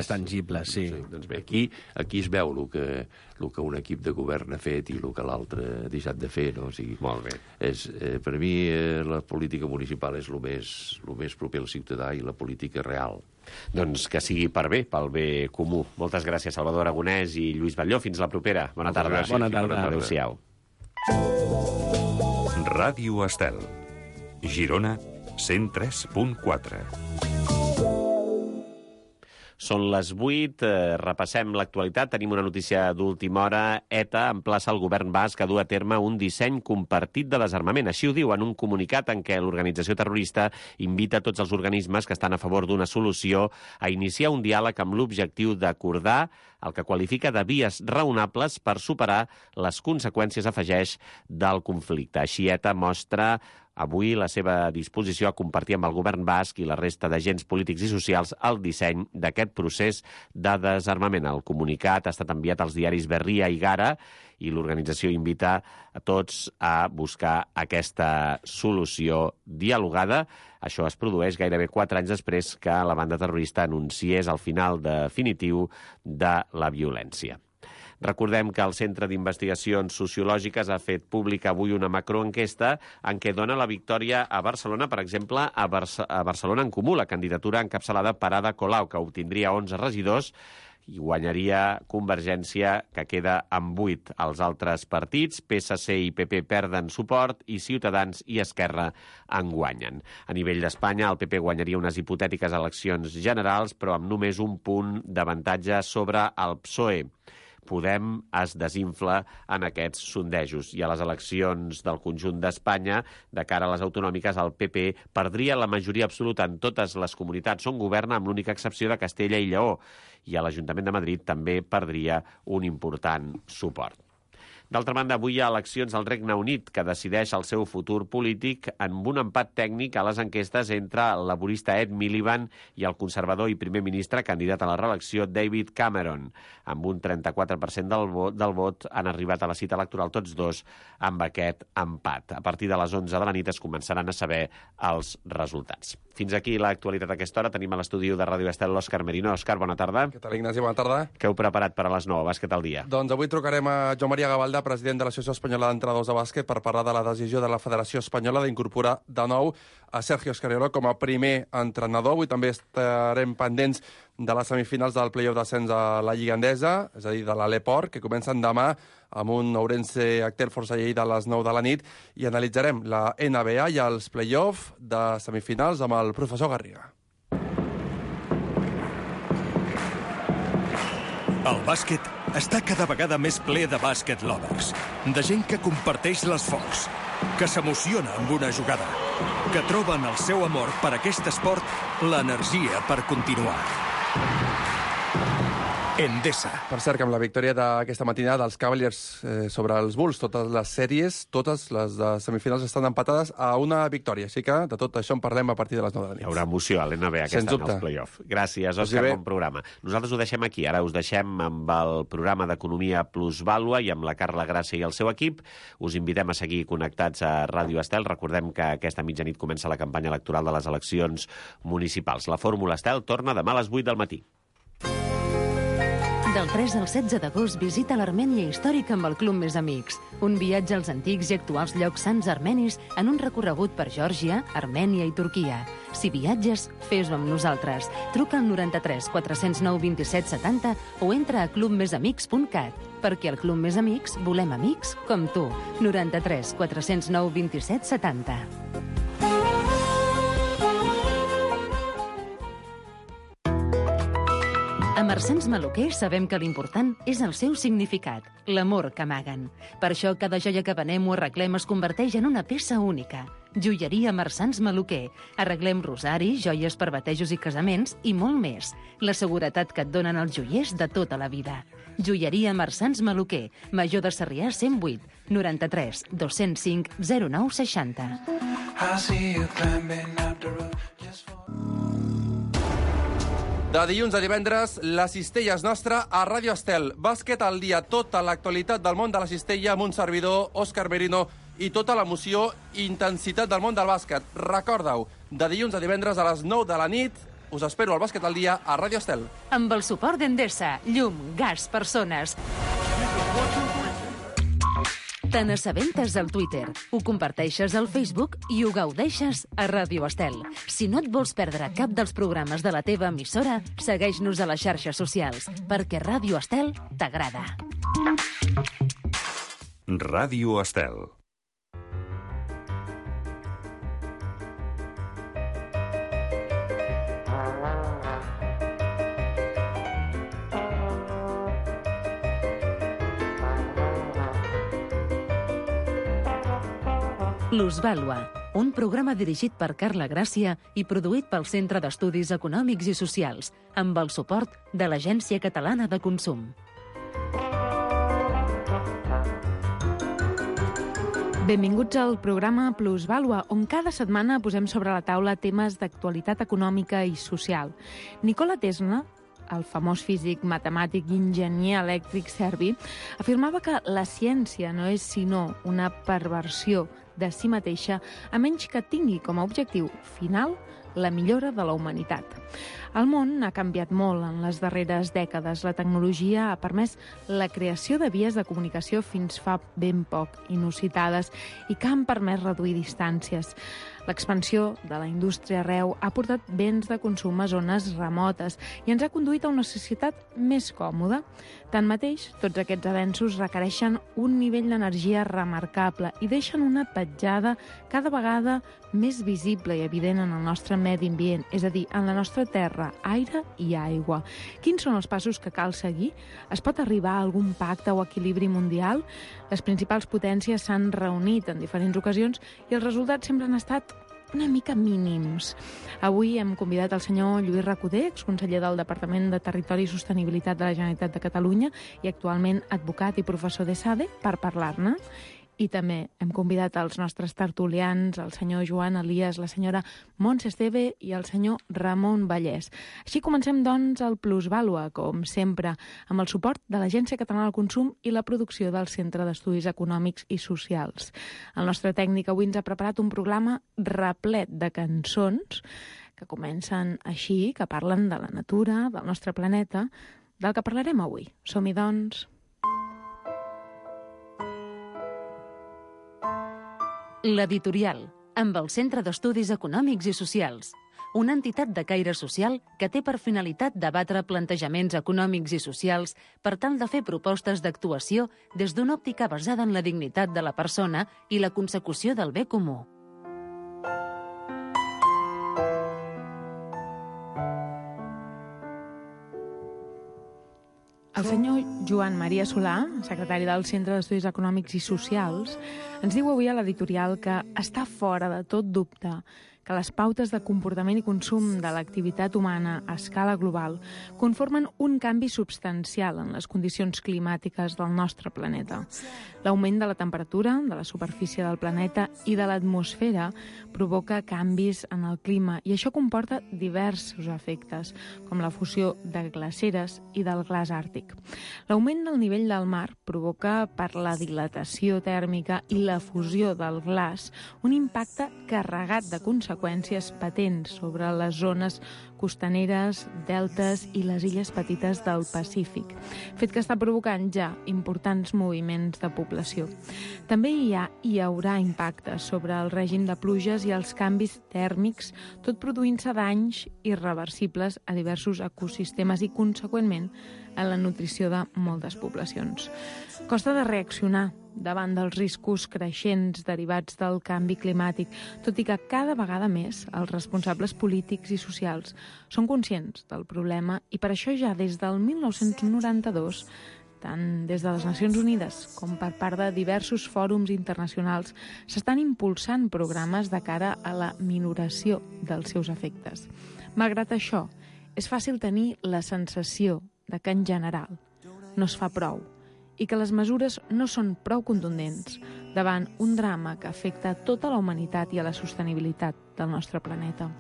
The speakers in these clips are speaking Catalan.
més tangibles, sí. Doncs bé, aquí es veu el que un equip de govern ha fet i el que l'altre ha deixat de fer, no? O sigui, molt bé. Per mi la política municipal és el més proper al ciutadà i la política real. Doncs que sigui per bé, pel bé comú. Moltes gràcies, Salvador Aragonès i Lluís Batlló. Fins la propera. Bona tarda. Bona tarda. Adéu-siau. Ràdio Estel. Girona 103.4. Són les 8, repassem l'actualitat. Tenim una notícia d'última hora. ETA emplaça el govern basc a dur a terme un disseny compartit de desarmament. Així ho diu en un comunicat en què l'organització terrorista invita tots els organismes que estan a favor d'una solució a iniciar un diàleg amb l'objectiu d'acordar el que qualifica de vies raonables per superar les conseqüències, afegeix, del conflicte. Així ETA mostra avui la seva disposició a compartir amb el govern basc i la resta d'agents polítics i socials el disseny d'aquest procés de desarmament. El comunicat ha estat enviat als diaris Berria i Gara i l'organització invita a tots a buscar aquesta solució dialogada. Això es produeix gairebé 4 anys després que la banda terrorista anunciés el final definitiu de la violència. Recordem que el Centre d'Investigacions Sociològiques ha fet pública avui una macroenquesta en què dona la victòria a Barcelona, per exemple, a Barcelona en Comú, la candidatura encapçalada per Ada Colau, que obtindria 11 regidors, i guanyaria Convergència, que queda amb 8. Els altres partits, PSC i PP, perden suport i Ciutadans i Esquerra en guanyen. A nivell d'Espanya, el PP guanyaria unes hipotètiques eleccions generals, però amb només un punt d'avantatge sobre el PSOE. Podem es desinfla en aquests sondejos. I a les eleccions del conjunt d'Espanya, de cara a les autonòmiques, el PP perdria la majoria absoluta en totes les comunitats on governa, amb l'única excepció de Castella i Lleó. I a l'Ajuntament de Madrid també perdria un important suport. D'altra banda, avui hi ha eleccions al Regne Unit, que decideix el seu futur polític amb un empat tècnic a les enquestes entre el laborista Ed Miliband i el conservador i primer ministre candidat a la reelecció David Cameron. Amb un 34% del vot han arribat a la cita electoral tots dos amb aquest empat. A partir de les 11 de la nit es començaran a saber els resultats. Fins aquí l'actualitat a aquesta hora. Tenim a l'estudi de Ràdio Estel l'Òscar Merino. Òscar, bona tarda. Què tal, Ignasi? Bona tarda. Què heu preparat per a les 9? Bàsquet al dia. Doncs avui trucarem a Joan Maria Gavaldà, president de l'Associació Espanyola d'Entrenadors de Bàsquet, per parlar de la decisió de la Federació Espanyola d'incorporar de nou a Sergio Scariolo com a primer entrenador. Avui també estarem pendents de les semifinals del play-off d'ascens a la Lliga Endesa, és a dir, de l'Aleport, que comencen demà amb un Ourense Actel Força Lleida a les 9 de la nit, i analitzarem la NBA i els play-off de semifinals amb el professor Garriga. El bàsquet està cada vegada més ple de bàsquet lovers, de gent que comparteix l'esforç, que s'emociona amb una jugada, que troba en el seu amor per aquest esport l'energia per continuar. Endesa. Per cert, que amb la victòria d'aquesta matinada dels Cavaliers sobre els Bulls, totes les sèries, totes les de semifinals estan empatades a una victòria. Així que de tot això en parlem a partir de les 9 de la nit. Hi haurà emoció a l'NBA aquesta en els play-off. Gràcies, Òscar, bon programa. Nosaltres ho deixem aquí. Ara us deixem amb el programa d'Economia Plusvàlua i amb la Carla Gràcia i el seu equip. Us invitem a seguir connectats a Ràdio Estel. Recordem que aquesta mitjanit comença la campanya electoral de les eleccions municipals. La Fórmula Estel torna demà a les 8 del matí. Del 3 al 16 d'agost visita l'Armènia històrica amb el Club Més Amics. Un viatge als antics i actuals llocs sants armenis en un recorregut per Geòrgia, Armènia i Turquia. Si viatges, fes-ho amb nosaltres. Truca al 93 409 27 70 o entra a clubmesamics.cat. Perquè al Club Més Amics volem amics com tu. 93 409 27 70. A Marsans Maluquer sabem que l'important és el seu significat, l'amor que amaguen. Per això cada joia que venem o arreglem es converteix en una peça única. Joieria Marsans Maluquer. Arreglem rosaris, joies per batejos i casaments i molt més. La seguretat que et donen els joiers de tota la vida. Joieria Marsans Maluquer. Major de Sarrià 108 93 205 09 60. De dilluns a divendres, la cistella és nostra a Ràdio Estel. Bàsquet al dia, tota l'actualitat del món de la cistella amb un servidor, Òscar Merino, i tota l'emoció i intensitat del món del bàsquet. Recorda-ho, de dilluns a divendres a les 9 de la nit, Us espero al Bàsquet al dia a Ràdio Estel. Amb el suport d'Endesa, llum, gas, persones. Te n'assabentes al Twitter, ho comparteixes al Facebook i ho gaudeixes a Ràdio Estel. Si no et vols perdre cap dels programes de la teva emissora, segueix-nos a les xarxes socials, perquè Ràdio Estel t'agrada. Ràdio Estel. Plusvàlua, un programa dirigit per Carla Gràcia i produït pel Centre d'Estudis Econòmics i Socials, amb el suport de l'Agència Catalana de Consum. Benvinguts al programa Plusvàlua, on cada setmana posem sobre la taula temes d'actualitat econòmica i social. Nikola Tesla, el famós físic, matemàtic i enginyer elèctric serbi, afirmava que la ciència no és sinó una perversió de si mateixa, a menys que tingui com a objectiu final la millora de la humanitat. El món ha canviat molt en les darreres dècades. La tecnologia ha permès la creació de vies de comunicació fins fa ben poc inusitades i que han permès reduir distàncies. L'expansió de la indústria arreu ha portat béns de consum a zones remotes i ens ha conduït a una societat més còmoda. Tanmateix, tots aquests avenços requereixen un nivell d'energia remarcable i deixen una petjada cada vegada més visible i evident en el nostre medi ambient, és a dir, en la nostra terra, aire i aigua. Quins són els passos que cal seguir? Es pot arribar a algun pacte o equilibri mundial? Les principals potències s'han reunit en diferents ocasions i els resultats sempre han estat una mica mínims. Avui hem convidat el senyor Lluís Recoder, exconseller del Departament de Territori i Sostenibilitat de la Generalitat de Catalunya i actualment advocat i professor d'ESADE, per parlar-ne. I també hem convidat els nostres tertulians, el senyor Joan Elias, la senyora Montse Esteve i el senyor Ramon Vallès. Així comencem, doncs, el Plusvàlua, com sempre, amb el suport de l'Agència Catalana del Consum i la producció del Centre d'Estudis Econòmics i Socials. El nostre tècnic avui ens ha preparat un programa replet de cançons que comencen així, que parlen de la natura, del nostre planeta, del que parlarem avui. Som-hi, doncs. L'Editorial, amb el Centre d'Estudis Econòmics i Socials, una entitat de caire social que té per finalitat debatre plantejaments econòmics i socials per tal de fer propostes d'actuació des d'una òptica basada en la dignitat de la persona i la consecució del bé comú. El senyor Joan Maria Solà, secretari del Centre d'Estudis Econòmics i Socials, ens diu avui a l'editorial que està fora de tot dubte que les pautes de comportament i consum de l'activitat humana a escala global conformen un canvi substancial en les condicions climàtiques del nostre planeta. L'augment de la temperatura, de la superfície del planeta i de l'atmosfera provoca canvis en el clima i això comporta diversos efectes, com la fusió de glaceres i del glaç àrtic. L'augment del nivell del mar provoca, per la dilatació tèrmica i la fusió del glaç, un impacte carregat de conseqüències patents sobre les zones costaneres, deltes i les illes petites del Pacífic, fet que està provocant ja importants moviments de població. També hi haurà impactes sobre el règim de pluges i els canvis tèrmics, tot produint-se danys irreversibles a diversos ecosistemes i, conseqüentment, a la nutrició de moltes poblacions. Costa de reaccionar davant dels riscos creixents derivats del canvi climàtic, tot i que cada vegada més els responsables polítics i socials són conscients del problema i per això ja des del 1992, tant des de les Nacions Unides com per part de diversos fòrums internacionals, s'estan impulsant programes de cara a la minoració dels seus efectes. Malgrat això, és fàcil tenir la sensació de que en general no es fa prou i que les mesures no són prou contundents davant un drama que afecta tota la humanitat i a la sostenibilitat del nostre planeta.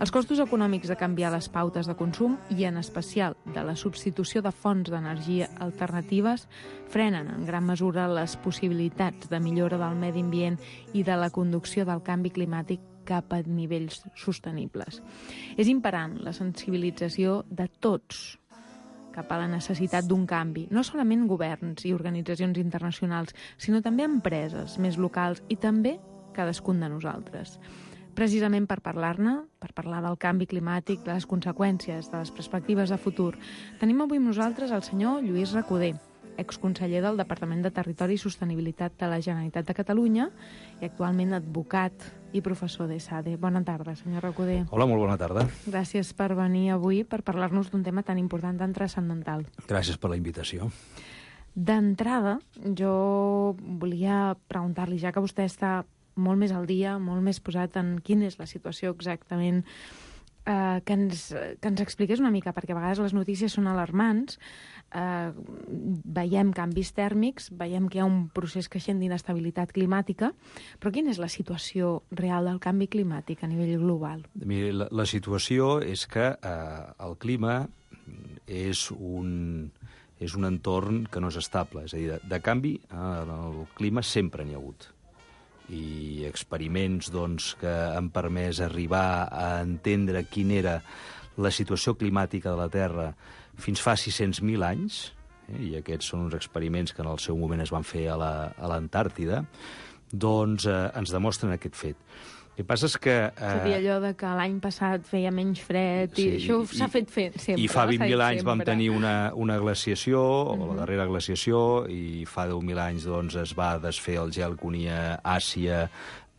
Els costos econòmics de canviar les pautes de consum i, en especial, de la substitució de fonts d'energia alternatives frenen en gran mesura les possibilitats de millora del medi ambient i de la conducció del canvi climàtic cap a nivells sostenibles. És imperant la sensibilització de tots cap a la necessitat d'un canvi, no solament governs i organitzacions internacionals, sinó també empreses més locals i també cadascun de nosaltres. Precisament per parlar-ne, per parlar del canvi climàtic, de les conseqüències, de les perspectives de futur, tenim avui amb nosaltres el senyor Lluís Recoder, exconseller del Departament de Territori i Sostenibilitat de la Generalitat de Catalunya i actualment advocat i professor d'ESADE. Bona tarda, senyor Recoder. Hola, molt bona tarda. Gràcies per venir avui per parlar-nos d'un tema tan important, tan transcendental. Gràcies per la invitació. D'entrada, jo volia preguntar-li, ja que vostè està molt més al dia, molt més posat en quina és la situació exactament, que ens expliqués una mica, perquè a vegades les notícies són alarmants, veiem canvis tèrmics, veiem que hi ha un procés creixent d'inestabilitat climàtica, però quina és la situació real del canvi climàtic a nivell global? Miri, la situació és que el clima és un entorn que no és estable, és a dir, de canvi en el clima sempre n'hi ha hagut. I experiments que han permès arribar a entendre quina era la situació climàtica de la Terra fins fa 600.000 anys, i aquests són uns experiments que en el seu moment es van fer a l'Antàrtida, doncs ens demostren aquest fet. El que passa és que... És a dir, allò de que l'any passat feia menys fred, i això s'ha fet sempre. I fa 20.000 anys vam tenir una glaciació, o la darrera glaciació, i fa 10.000 anys es va desfer el gel que unia Àsia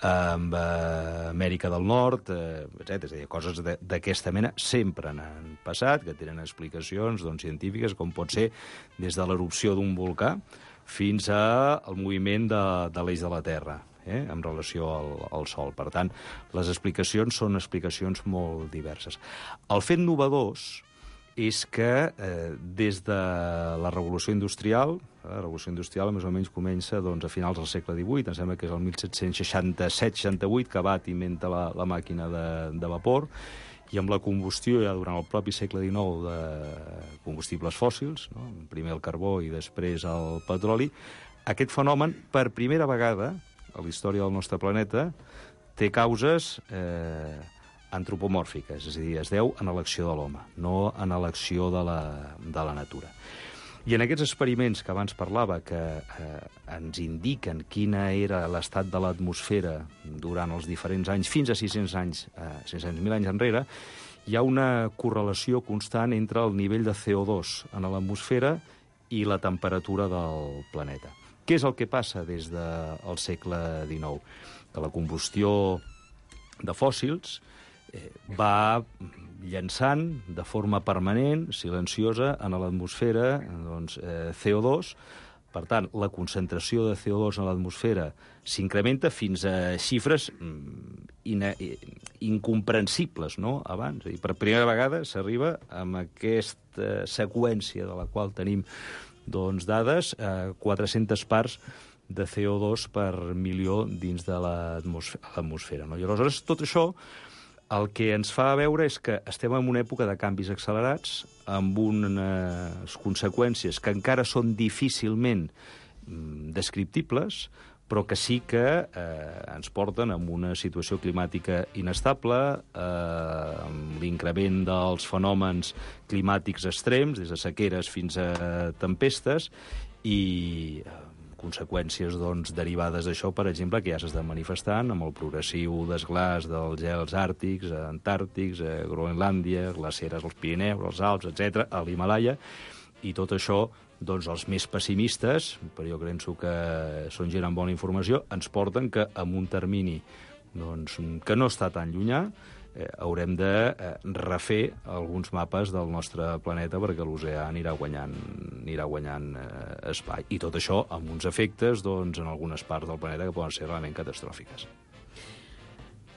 amb Amèrica del Nord, etc. És a dir, coses d'aquesta mena sempre n'han passat, que tenen explicacions científiques, com pot ser des de l'erupció d'un volcà fins al moviment de l'eix de la Terra, en relació al Sol. Per tant, les explicacions són explicacions molt diverses. El fet novedós és que des de la Revolució Industrial, més o menys comença a finals del segle XVIII, em sembla que és el 1767-68, que Watt inventa la màquina de vapor, i amb la combustió ja durant el propi segle XIX de combustibles fòssils, primer el carbó i després el petroli, aquest fenomen, per primera vegada a la història del nostre planeta, té causes antropomòrfiques, és a dir, es deu en l'acció de l'home, no en l'acció de la natura. I en aquests experiments que abans parlava, que ens indiquen quina era l'estat de l'atmosfera durant els diferents anys, fins a 600.000 anys enrere, hi ha una correlació constant entre el nivell de CO2 en l'atmosfera i la temperatura del planeta. Què és el que passa des del segle XIX? Que la combustió de fòssils va llançant de forma permanent, silenciosa, en l'atmosfera CO2. Per tant, la concentració de CO2 en l'atmosfera s'incrementa fins a xifres incomprensibles, no?, abans. I per primera vegada s'arriba amb aquesta seqüència de la qual tenim dades, 400 parts de CO2 per milió dins de l'atmosfera. I aleshores, tot això el que ens fa veure és que estem en una època de canvis accelerats, amb unes conseqüències que encara són difícilment descriptibles, però que sí que ens porten a una situació climàtica inestable, amb l'increment dels fenòmens climàtics extrems, des de sequeres fins a tempestes, i conseqüències derivades d'això, per exemple, que ja s'estan manifestant amb el progressiu desglàs dels gels àrtics, antàrtics, a Groenlàndia, glaceres als Pirineus, als Alps, etc., a l'Himàlaia, i tot això, els més pessimistes, però jo penso que són gent amb bona informació, ens porten que en un termini que no està tan llunyà haurem de refer alguns mapes del nostre planeta perquè l'oceà anirà guanyant espai. I tot això amb uns efectes en algunes parts del planeta que poden ser realment catastròfiques.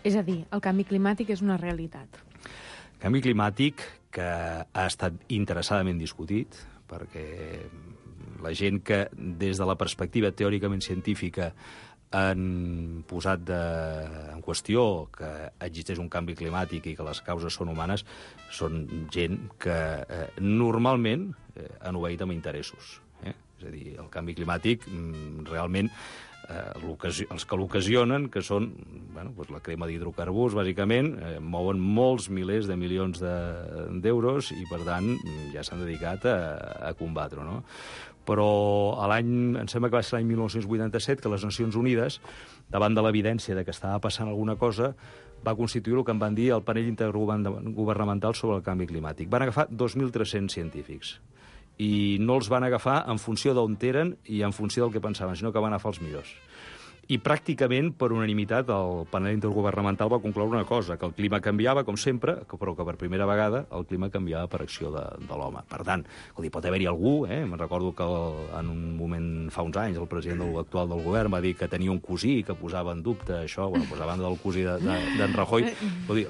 És a dir, el canvi climàtic és una realitat. Canvi climàtic que ha estat interessadament discutit, perquè la gent que des de la perspectiva teòricament científica han posat en qüestió que existeix un canvi climàtic i que les causes són humanes, són gent que normalment han obeït amb interessos. És a dir, el canvi climàtic realment els que l'ocasionen, que són la crema d'hidrocarburs, bàsicament, mouen molts milers de milions d'euros i, per tant, ja s'han dedicat a combatre-ho, no? Però em sembla que va ser l'any 1987 que les Nacions Unides, davant de l'evidència de que estava passant alguna cosa, va constituir el que en van dir el panell intergovernamental sobre el canvi climàtic. Van agafar 2.300 científics i no els van agafar en funció d'on eren i en funció del que pensaven, sinó que van agafar els millors. I pràcticament, per unanimitat, el panel intergovernamental va concloure una cosa, que el clima canviava, com sempre, però que per primera vegada el clima canviava per acció de l'home. Per tant, pot haver-hi algú, me'n recordo que en un moment, fa uns anys, el president actual del govern va dir que tenia un cosí que posava en dubte això, posava en del cosí d'en Rajoy.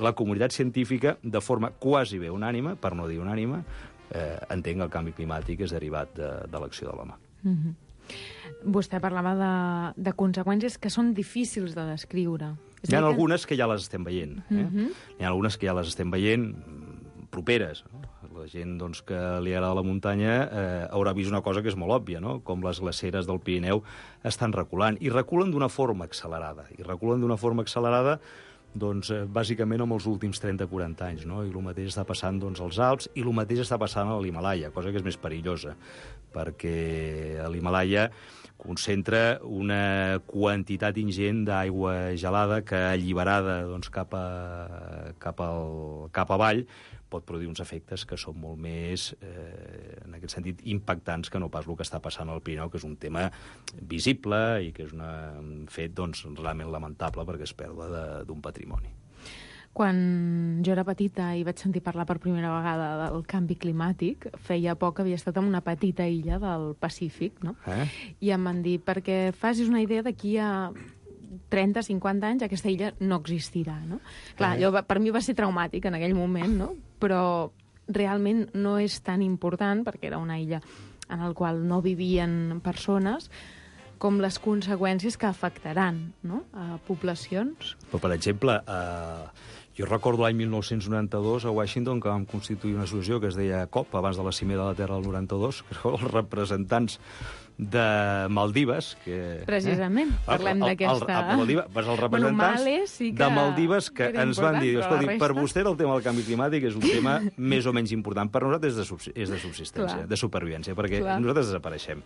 La comunitat científica, de forma quasi bé unànime, per no dir unànime, entenc que el canvi climàtic és derivat de l'acció de l'home. Vostè parlava de conseqüències que són difícils de descriure. Hi ha algunes que ja les estem veient. Hi ha algunes que ja les estem veient properes. La gent que li agrada la muntanya haurà vist una cosa que és molt òbvia, no? Com les glaceres del Pirineu estan reculant. I reculen d'una forma accelerada. Bàsicament amb els últims 30-40 anys, no? I el mateix està passant als Alps i el mateix està passant a l'Himalaya, cosa que és més perillosa, perquè a l'Himalaya concentra una quantitat ingent d'aigua gelada que, alliberada cap avall, pot produir uns efectes que són molt més, en aquest sentit, impactants que no pas el que està passant al Pirineu, que és un tema visible i que és un fet realment lamentable perquè és pèrdua d'un patrimoni. Quan jo era petita i vaig sentir parlar per primera vegada del canvi climàtic, feia poc havia estat en una petita illa del Pacífic, no? I em van dir, perquè facis una idea, d'aquí a 30-50 anys aquesta illa no existirà, no? Clar, allò per mi va ser traumàtic en aquell moment, no? Però realment no és tan important, perquè era una illa en la qual no vivien persones, com les conseqüències que afectaran, no?, a poblacions. Però, per exemple, jo recordo l'any 1992 a Washington que vam constituir una associació que es deia COP, abans de la Cimera de la Terra del 92, que eren els representants de Maldives, que... Precisament, parlem d'aquesta... Els representants de Maldives que ens van dir, escolti, per vostè el tema del canvi climàtic és un tema més o menys important. Per nosaltres és de subsistència, de supervivència, perquè nosaltres desapareixem.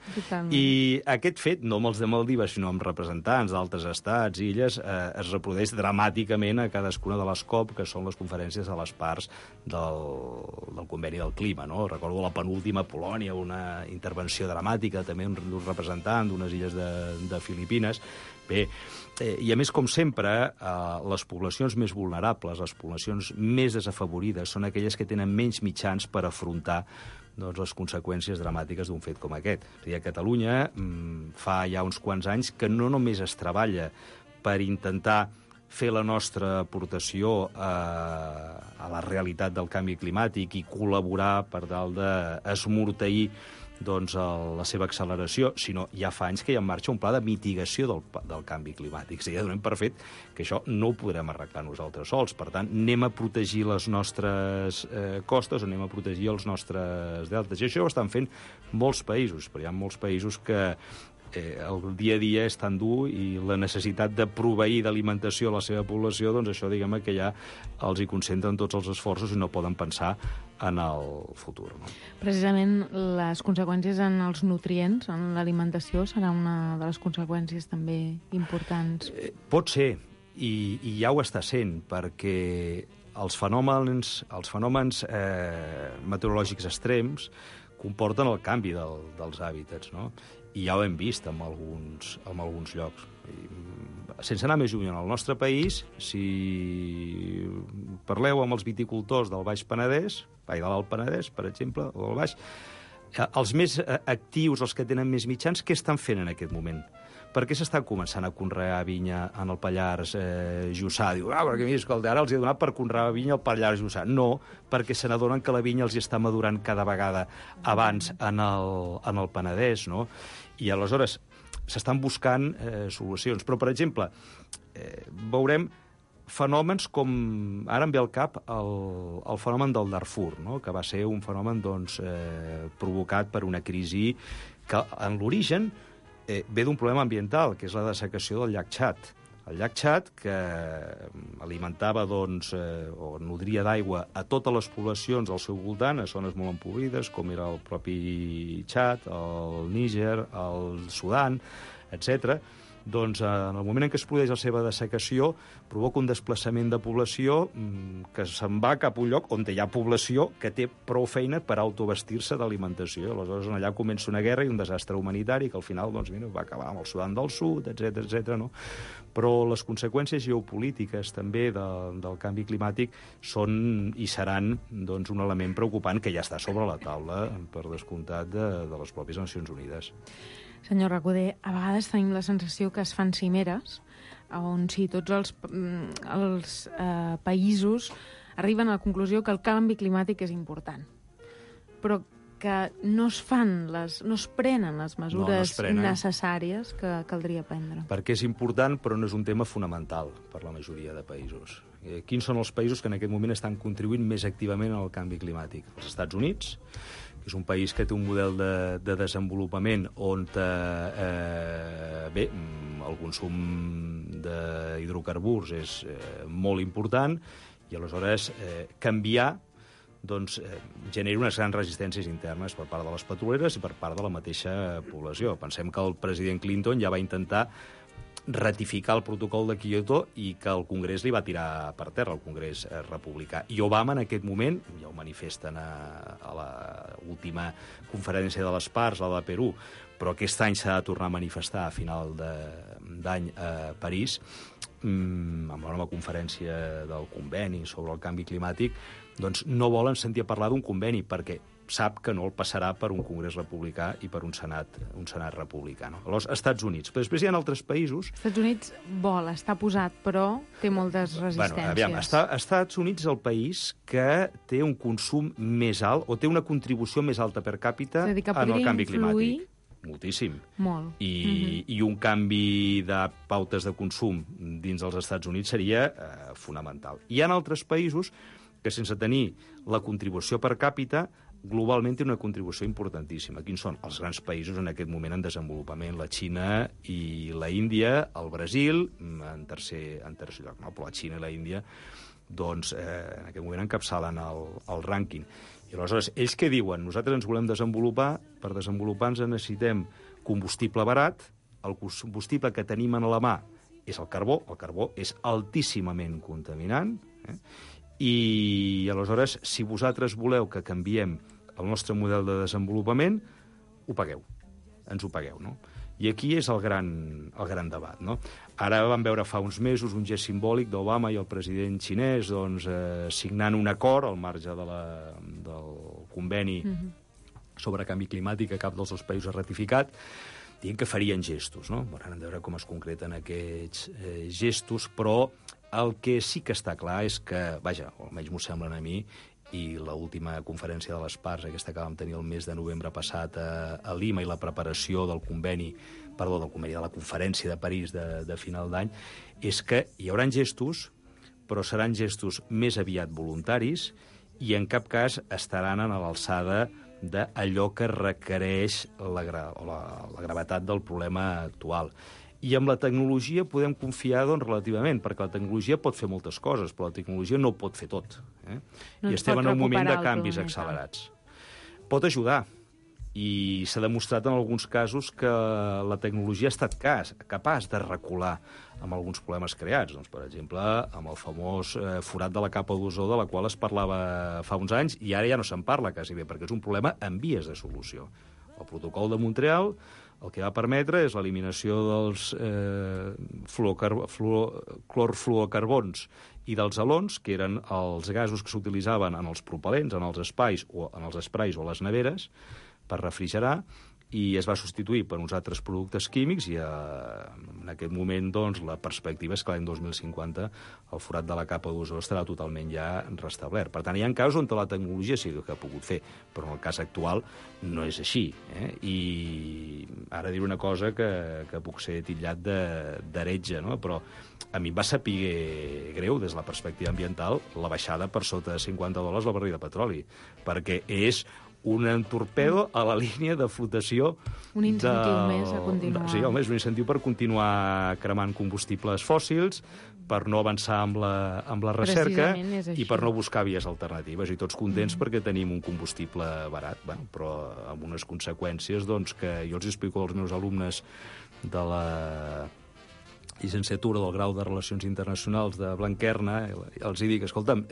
I aquest fet, no amb els de Maldives, sinó amb representants d'altres estats i illes, es reprodueix dramàticament a cadascuna de les COP, que són les conferències de les parts del conveni del clima, no? Recordo la penúltima a Polònia, una intervenció dramàtica, també d'un representant d'unes illes de Filipines. Bé, i a més, com sempre, les poblacions més vulnerables, les poblacions més desafavorides, són aquelles que tenen menys mitjans per afrontar les conseqüències dramàtiques d'un fet com aquest. És a dir, a Catalunya fa ja uns quants anys que no només es treballa per intentar fer la nostra aportació a la realitat del canvi climàtic i col·laborar per tal d'esmorteir la seva acceleració, sinó ja fa anys que hi ha en marxa un pla de mitigació del canvi climàtic. Ja donem per fet que això no ho podrem arreglar nosaltres sols. Per tant, anem a protegir les nostres costes, anem a protegir els nostres deltes. I això ho estan fent molts països, però hi ha molts països que el dia a dia és tan dur i la necessitat de proveir d'alimentació a la seva població, doncs això, diguem-ne, que ja els hi concentren tots els esforços i no poden pensar en el futur. No? Precisament les conseqüències en els nutrients, en l'alimentació, serà una de les conseqüències també importants. Pot ser, i ja ho està sent, perquè els fenòmens meteorològics extrems comporten el canvi dels hàbitats, no? I ja ho hem vist en alguns llocs. Sense anar més lluny, en el nostre país, si parleu amb els viticultors del Baix Penedès, de l'Alt Penedès, per exemple, o del Baix, els més actius, els que tenen més mitjans, què estan fent en aquest moment? Per què s'estan començant a conrear vinya en el Pallars Jussà? Diu, perquè mira, escolta, ara els he donat per conrear vinya al Pallars Jussà. No, perquè se n'adonen que la vinya els hi està madurant cada vegada abans en el Penedès, no? I aleshores s'estan buscant solucions. Però, per exemple, veurem fenòmens com... Ara em ve al cap el fenomen del Darfur, no? Que va ser un fenomen provocat per una crisi que en l'origen ve d'un problema ambiental, que és la dessecació del llac Txad. El llac Txad, que alimentava o nodria d'aigua a totes les poblacions al seu voltant, a zones molt empobrides, com era el propi Txad, el Níger, el Sudan, etc. Doncs en el moment en què es produeix la seva dessecació provoca un desplaçament de població que se'n va cap a un lloc on hi ha població que té prou feina per autobastir-se d'alimentació. Aleshores allà comença una guerra i un desastre humanitari que al final va acabar amb el Sudan del Sud, etc. No? Però les conseqüències geopolítiques també del canvi climàtic són i seran un element preocupant que ja està sobre la taula, per descomptat, de les pròpies Nacions Unides. Senyor Recoder, a vegades tenim la sensació que es fan cimeres on tots els països arriben a la conclusió que el canvi climàtic és important, però que no es prenen les mesures necessàries que caldria prendre. Perquè és important, però no és un tema fonamental per la majoria de països. Quins són els països que en aquest moment estan contribuint més activament al canvi climàtic? Els Estats Units, que és un país que té un model de desenvolupament on el consum d'hidrocarburs és molt important i aleshores canviar genera unes grans resistències internes per part de les petroleres i per part de la mateixa població. Pensem que el president Clinton ja va intentar ratificar el protocol de Kyoto i que el Congrés li va tirar per terra, el Congrés republicà. I Obama, en aquest moment, ja ho manifesten a l'última conferència de les parts, la de Perú, però aquest any s'ha de tornar a manifestar a final d'any a París, amb la nova conferència del conveni sobre el canvi climàtic, doncs no volen sentir a parlar d'un conveni, perquè sap que no el passarà per un Congrés republicà i per un Senat republicà. No? Aleshores, Estats Units. Però després hi ha altres països... Estats Units està posat, però té moltes resistències. Estats Units és el país que té un consum més alt, o té una contribució més alta per càpita en el canvi climàtic. Moltíssim. Molt. I un canvi de pautes de consum dins dels Estats Units seria fonamental. Hi ha altres països que, sense tenir la contribució per càpita, globalment té una contribució importantíssima. Quins són els grans països en aquest moment en desenvolupament? La Xina i la Índia, el Brasil, en tercer lloc. No? Però la Xina i la Índia, en aquest moment encapçalen el rànquing. I aleshores, ells què diuen? Nosaltres ens volem desenvolupar, per desenvolupar ens necessitem combustible barat, el combustible que tenim a la mà és el carbó és altíssimament contaminant, i aleshores, si vosaltres voleu que canviem el nostre model de desenvolupament, ho pagueu, ens ho pagueu, no? I aquí és el gran debat, no? Ara vam veure fa uns mesos un gest simbòlic d'Obama i el president xinès signant un acord al marge del conveni sobre canvi climàtic que cap dels dos països ha ratificat, dient que farien gestos, no? Hem de veure com es concreten aquests gestos, però el que sí que està clar és que, vaja, almenys m'ho semblen a mi, i l'última conferència de les parts, aquesta que vam tenir el mes de novembre passat a Lima, i la preparació de la conferència de París de final d'any, és que hi haurà gestos, però seran gestos més aviat voluntaris i en cap cas estaran a l'alçada d'allò que requereix la gravetat del problema actual. I amb la tecnologia podem confiar relativament, perquè la tecnologia pot fer moltes coses, però la tecnologia no pot fer tot. I estem en un moment de canvis accelerats. Pot ajudar, i s'ha demostrat en alguns casos que la tecnologia ha estat capaç de recular amb alguns problemes creats. Per exemple, amb el famós forat de la capa d'ozó, de la qual es parlava fa uns anys, i ara ja no se'n parla quasi bé, perquè és un problema en vies de solució. El protocol de Montreal el que va permetre és l'eliminació dels clorfluorocarbons i dels halons, que eren els gasos que s'utilitzaven en els propel·lents, en els espais o en els esprais o les neveres, per refrigerar, i es va substituir per uns altres productes químics i en aquest moment la perspectiva és que l'any 2050 el forat de la capa d'ozó estarà totalment ja restablert. Per tant, hi ha casos on la tecnologia sí que ha pogut fer, però en el cas actual no és així. I ara diré una cosa que puc ser titllat d'heretge, no? Però a mi em va saber greu des de la perspectiva ambiental la baixada per sota de $50 la barril de petroli, perquè és un torpedo a la línia de flotació. Un incentiu més a continuar. Sí, home, és un incentiu per continuar cremant combustibles fòssils, per no avançar amb la recerca i per no buscar vies alternatives. I tots contents perquè tenim un combustible barat, bueno, però amb unes conseqüències doncs, que jo els explico als meus alumnes de la llicenciatura del grau de Relacions Internacionals de Blanquerna, els dic, escolta'm,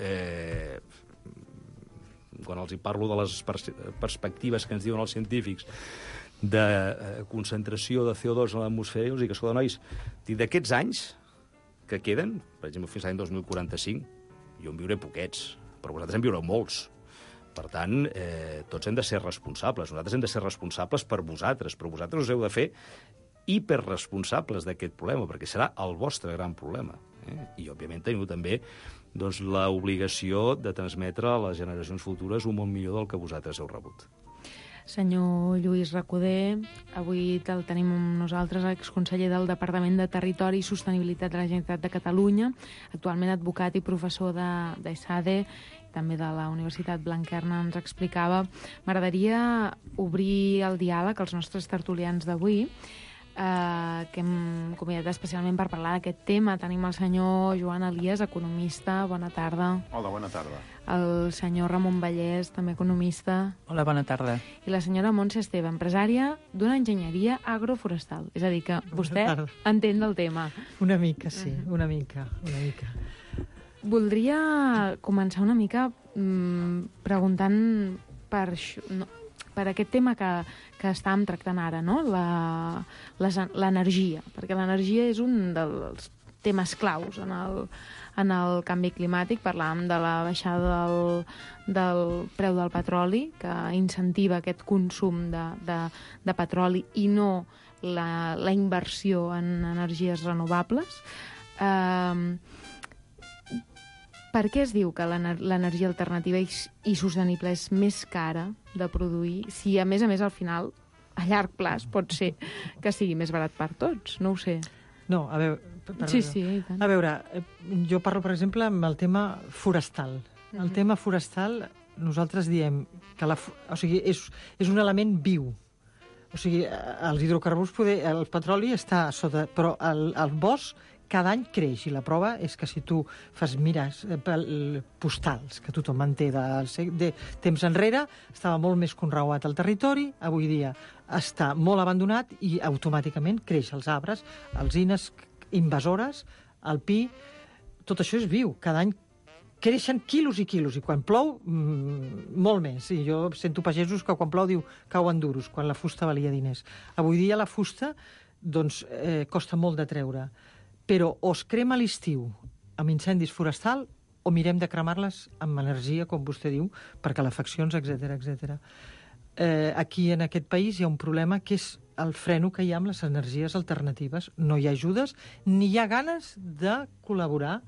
quan els hi parlo de les perspectives que ens diuen els científics de concentració de CO2 en l'atmosfera, els dic, escolta, nois, d'aquests anys que queden, per exemple, fins l'any 2045, jo en viuré poquets, però vosaltres en viureu molts. Per tant, tots hem de ser responsables. Nosaltres hem de ser responsables per vosaltres, però vosaltres us heu de fer hiperresponsables d'aquest problema, perquè serà el vostre gran problema. I, òbviament, teniu també doncs, l'obligació de transmetre a les generacions futures un món millor del que vosaltres heu rebut. Senyor Lluís Recoder, avui el tenim amb nosaltres, exconseller del Departament de Territori i Sostenibilitat de la Generalitat de Catalunya, actualment advocat i professor d'ESADE, també de la Universitat Blanquerna, ens explicava. M'agradaria obrir el diàleg als nostres tertulians d'avui, que hem convidat especialment per parlar d'aquest tema. Tenim el senyor Joan Elias, economista. Bona tarda. Hola, bona tarda. El senyor Ramon Vallès, també economista. Hola, bona tarda. I la senyora Montse Esteve, empresària d'una enginyeria agroforestal. És a dir, que vostè entén del tema. Una mica, sí, una mica. Voldria començar una mica preguntant per això, per aquest tema que estàvem tractant ara, no? L'energia, perquè l'energia és un dels temes claus en el canvi climàtic. Parlàvem de la baixada del preu del petroli, que incentiva aquest consum de petroli i no la inversió en energies renovables. Per què es diu que l'energia alternativa i sostenible és més cara de produir si, a més, al final, a llarg plaç, pot ser que sigui més barat per tots? No ho sé. No, a veure... Sí, i tant. A veure, jo parlo, per exemple, amb el tema forestal. El tema forestal, nosaltres diem que és un element viu. O sigui, els hidrocarburs, el petroli està sota... Però el bosc cada any creix, i la prova és que si tu mires postals, que tothom en té de temps enrere, estava molt més conreuat el territori, avui dia està molt abandonat i automàticament creix els arbres, alzines invasores, el pi, tot això és viu, cada any creixen quilos i quilos, i quan plou, molt més. I jo sento pagesos que quan plou diu cauen duros, quan la fusta valia diners. Avui dia la fusta costa molt de treure. Però o es crema a l'estiu amb incendis forestal o mirem de cremar-les amb energia, com vostè diu, per calefaccions, etc. Aquí, en aquest país, hi ha un problema que és el freno que hi ha amb les energies alternatives. No hi ha ajudes, ni hi ha ganes de col·laborar,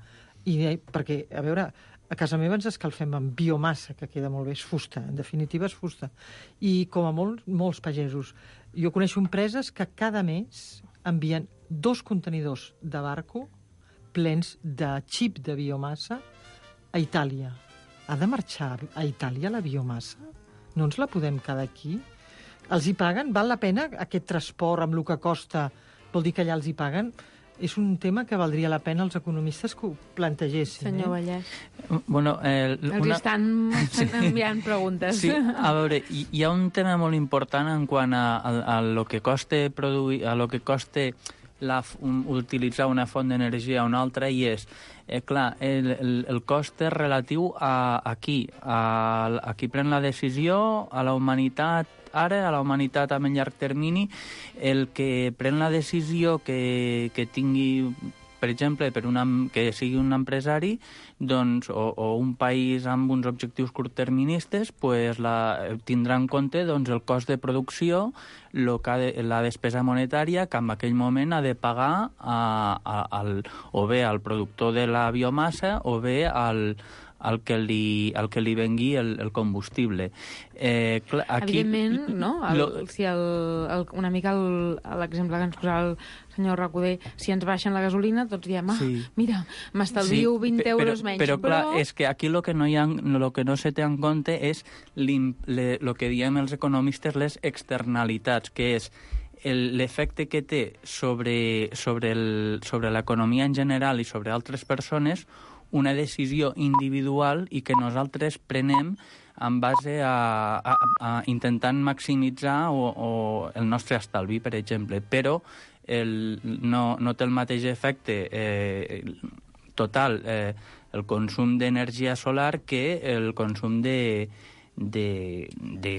perquè, a veure, a casa meva ens escalfem amb biomassa, que queda molt bé, és fusta, en definitiva és fusta. I com a molts pagesos. Jo coneixo empreses que cada mes envien 2 contenidors de barco plens de xip de biomassa a Itàlia. Ha de marxar a Itàlia la biomassa? No ens la podem quedar aquí? Els hi paguen? Val la pena aquest transport amb el que costa? Vol dir que allà els hi paguen? És un tema que valdria la pena els economistes que ho plantegessin. Senyor Vallès. Bueno, Els estan enviant preguntes. Sí, a veure, hi ha un tema molt important en quant a lo que costa produir, a lo que costa utilitzar una font d'energia o una altra, i és, clar, el cost és relatiu a qui? A qui pren la decisió, a la humanitat ara, a la humanitat a llarg termini, el que pren la decisió que tingui, per exemple, que sigui un empresari, doncs, o un país amb uns objectius curtterministes, pues tindrà en compte doncs, el cost de producció, la despesa monetària que en aquell moment ha de pagar o bé al productor de la biomassa o bé al al que li vengui el combustible. Aquí, evidentment, no? Una mica l'exemple que ens posava el senyor Recoder, si ens baixen la gasolina, tots diem, mira, m'estalvio 20 euros menys. Però clar, és que aquí lo que no se té en compte és el que diem els economistes, les externalitats, que és l'efecte que té sobre l'economia en general i sobre altres persones una decisió individual i que nosaltres prenem en base a intentant maximitzar el nostre estalvi, per exemple. Però no té el mateix efecte total el consum d'energia solar que el consum de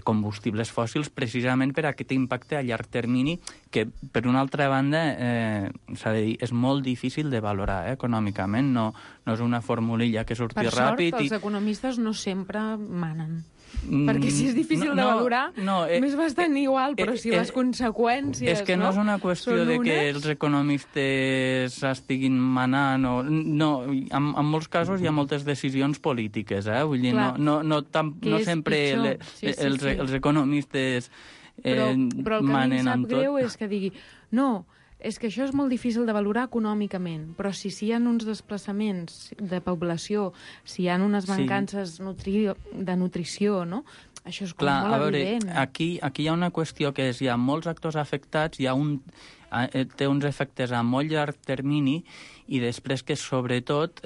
combustibles fòssils, precisament per aquest impacte a llarg termini que, per una altra banda, s'ha de dir, és molt difícil de valorar econòmicament. No és una formulilla que surti ràpid. Per sort, els economistes no sempre manen. Perquè si és difícil de valorar, més bastant igual, però si les conseqüències... És que no és una qüestió de que els economistes estiguin manant o... No, en molts casos hi ha moltes decisions polítiques, vull dir, no sempre els economistes manen amb tot. Però el que a mi em sap greu és que digui, no, és que això és molt difícil de valorar econòmicament, però si hi ha uns desplaçaments de població, si hi ha unes mancances de nutrició, no? Això és molt evident. Aquí hi ha una qüestió que és, hi ha molts actors afectats, té uns efectes a molt llarg termini i després que, sobretot,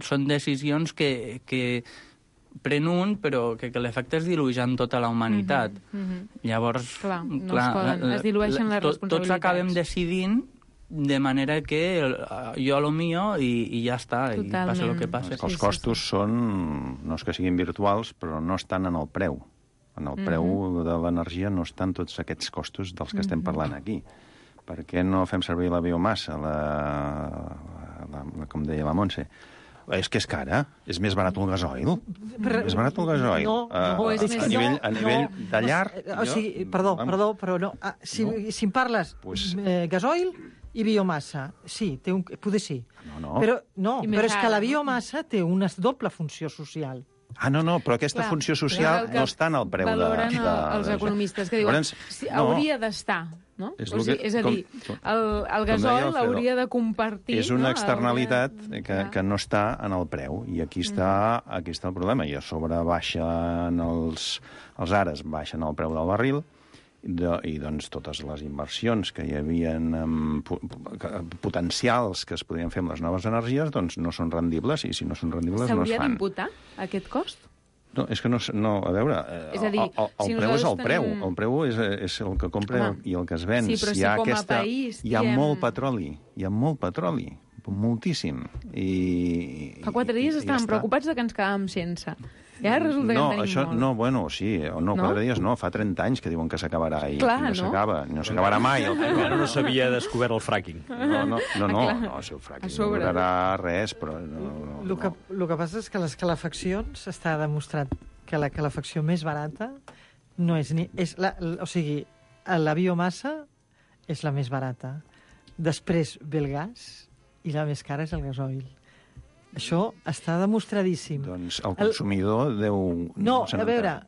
són decisions que pren un, però que l'efecte es dilueix en tota la humanitat. Llavors, es dilueixen les responsabilitats. Tots acabem decidint de manera que jo a lo mío i ja està, i passa el que passa. Els costos són, no és que siguin virtuals, però no estan en el preu. En el preu de l'energia no estan tots aquests costos dels que estem parlant aquí. Per què no fem servir la biomassa, com deia la Montse? És que és cara. És més barat el gasoil. És barat el gasoil. A nivell de llar... Perdó, però no. Si em parles gasoil i biomassa, sí, poder sí. Però és que la biomassa té una doble funció social. No, però aquesta funció social no està en el preu de... Valoren els economistes, que diuen hauria d'estar, no? És a dir, el gasoil hauria de compartir... És una externalitat que no està en el preu, i aquí està el problema. I a sobre baixen els ares, baixen el preu del barril, i doncs totes les inversions que hi havia potencials que es podrien fer amb les noves energies doncs no són rendibles, i si no són rendibles no es fan. S'hauria d'imputar aquest cost? No, és que no, a veure, el preu és el preu. El preu és el que compra i el que es ven. Sí, però si com a país... Hi ha molt petroli, moltíssim. Fa 4 dies estàvem preocupats de que ens quedàvem sense. I ara resulta que en tenim molt. 4 dies no, fa 30 anys que diuen que s'acabarà i no s'acaba. No s'acabarà mai. Encara no s'havia descobert el fracking. No, si el fracking no durarà res, però... El que passa és que les calefaccions està demostrat que la calefacció més barata no és ni... O sigui, la biomassa és la més barata. Després ve el gas i la més cara és el gasoil. Això està demostradíssim. Doncs el consumidor deu... No, a veure...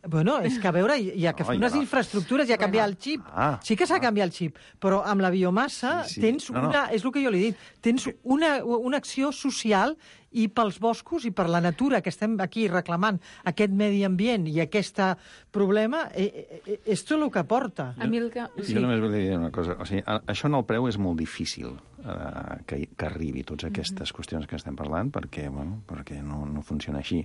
Bueno, és que a veure, hi ha que fer unes infraestructures, hi ha que canviar el xip. Sí que s'ha de canviar el xip, però amb la biomassa tens una... És el que jo li he dit. Tens una acció social i pels boscos i per la natura que estem aquí reclamant aquest medi ambient i aquest problema, és tot el que porta. Jo només volia dir una cosa. O sigui, això en el preu és molt difícil que arribi totes aquestes qüestions que estem parlant perquè no funciona així.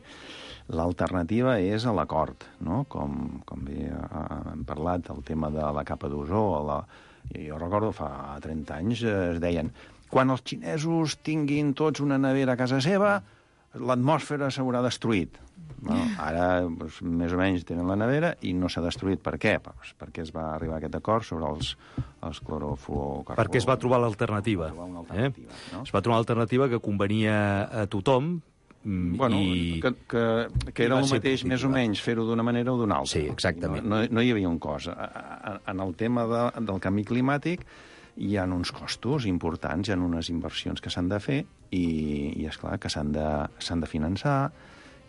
L'alternativa és l'acord, no? Com bé hem parlat, el tema de la capa d'ozó. Jo recordo, fa 30 anys es deien quan els xinesos tinguin tots una nevera a casa seva, l'atmosfera s'haurà destruït. Ara, més o menys, tenen la nevera i no s'ha destruït. Per què? Perquè es va arribar a aquest acord sobre els clorofluorocarburs. Perquè es va trobar l'alternativa. Es va trobar l'alternativa que convenia a tothom. Que era el mateix, més o menys, fer-ho d'una manera o d'una altra. Sí, exactament. No hi havia un cost. En el tema del canvi climàtic hi ha uns costos importants, hi ha unes inversions que s'han de fer i esclar, que s'han de finançar,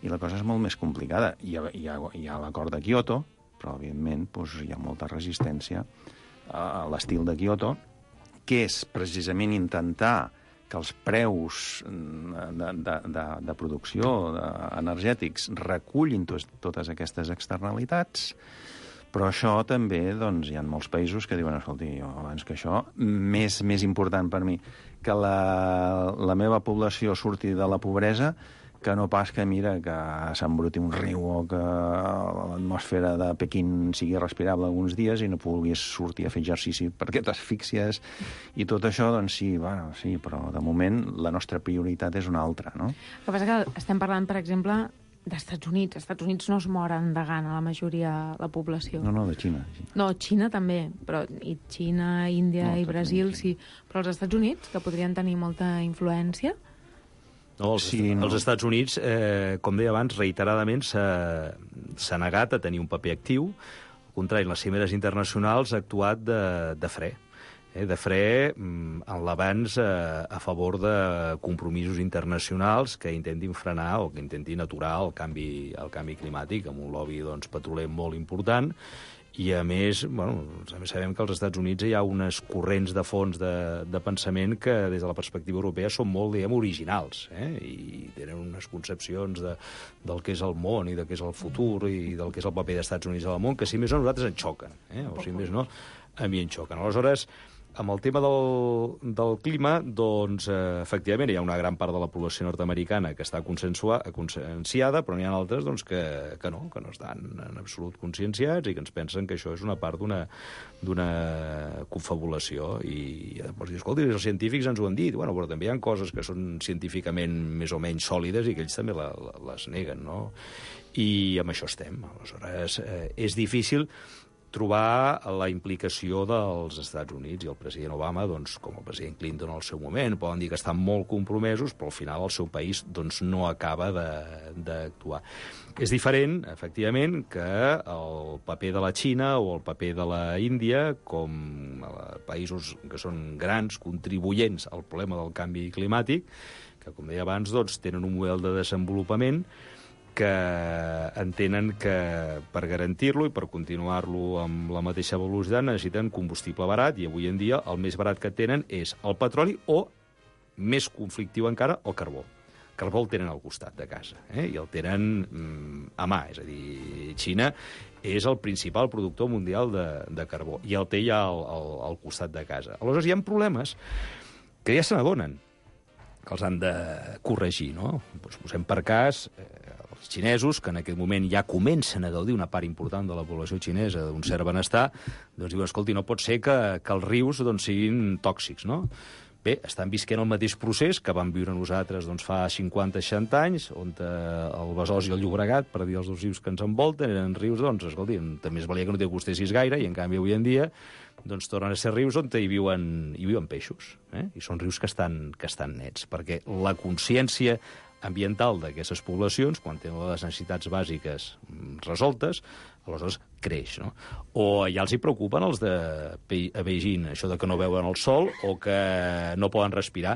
i la cosa és molt més complicada. Hi ha l'acord de Kyoto, però, evidentment, doncs, hi ha molta resistència a l'estil de Kyoto, que és precisament intentar que els preus de producció energètics recullin totes aquestes externalitats, però això també, doncs, hi ha molts països que diuen, escolti, abans que això, més important per mi que la meva població surti de la pobresa que no pas que, mira, que s'embruti un riu o que l'atmosfera de Pequín sigui respirable alguns dies i no puguis sortir a fer exercici perquè t'asfíxies i tot això, doncs sí, però de moment la nostra prioritat és una altra, no? El que passa que estem parlant, per exemple, d'Estats Units. Estats Units no es moren de gana, la majoria de la població. No, de Xina. No, Xina també, però i Xina, Índia i Brasil, sí. Però els Estats Units, que podrien tenir molta influència... No, els Estats Units, com deia abans, reiteradament s'ha negat a tenir un paper actiu. Al contrari, en les cimeres internacionals ha actuat de fre. De fre en l'avanç a favor de compromisos internacionals que intentin frenar o que intentin aturar el canvi climàtic, amb un lobby petroler molt important. I, a més, sabem que als Estats Units hi ha unes corrents de fons de pensament que, des de la perspectiva europea, són molt, originals, i tenen unes concepcions del que és el món i del que és el futur i del que és el paper dels Estats Units al món, que, si més no, a nosaltres ens xoquen, o si més no, a mi em xoquen. Aleshores, amb el tema del clima, doncs, efectivament, hi ha una gran part de la població nord-americana que està conscienciada, però n'hi ha altres doncs, que no estan en absolut conscienciats i que ens pensen que això és una part d'una confabulació. I llavors dius, escolta, els científics ens ho han dit, però també hi ha coses que són científicament més o menys sòlides i que ells també les neguen, no? I amb això estem. Aleshores, és difícil trobar la implicació dels Estats Units, i el president Obama, doncs, com el president Clinton al seu moment, poden dir que estan molt compromesos, però al final el seu país doncs, no acaba d'actuar. És diferent, efectivament, que el paper de la Xina o el paper de la Índia, com països que són grans contribuents al problema del canvi climàtic, que, com deia abans, doncs, tenen un model de desenvolupament que entenen que per garantir-lo i per continuar-lo amb la mateixa velocitat necessiten combustible barat, i avui en dia el més barat que tenen és el petroli o, més conflictiu encara, el carbó. El carbó el tenen al costat de casa, i el tenen a mà, és a dir, Xina és el principal productor mundial de carbó, i el té ja al costat de casa. Aleshores hi ha problemes que ja se n'adonen, que els han de corregir, no? Doncs posem per cas els xinesos, que en aquest moment ja comencen a gaudir una part important de la població xinesa d'un cert benestar, doncs diuen, escolti, no pot ser que els rius doncs, siguin tòxics, no? Bé, estan visquent el mateix procés que vam viure nosaltres doncs, fa 50-60 anys, on el Besòs i el Llobregat, per dir els dos rius que ens envolten, eren rius, doncs, escolti, també es valia que no t'hi acostessis gaire, i en canvi avui en dia doncs, tornen a ser rius on hi viuen peixos, i són rius que estan nets, perquè la consciència ambiental d'aquestes poblacions, quan tenen les necessitats bàsiques resoltes, aleshores creix, no? O ja els hi preocupen els de Beijing, això de que no veuen el sol o que no poden respirar,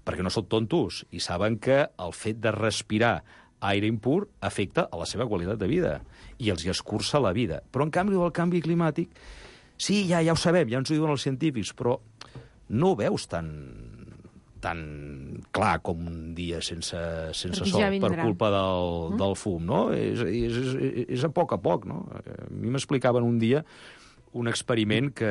perquè no són tontos i saben que el fet de respirar aire impur afecta a la seva qualitat de vida i els hi escurça la vida. Però, en canvi, el canvi climàtic, sí, ja ho sabem, ja ens ho diuen els científics, però no ho veus tan clar com un dia sense sol per culpa del fum, no? És a poc, no? A mi m'explicaven un dia un experiment que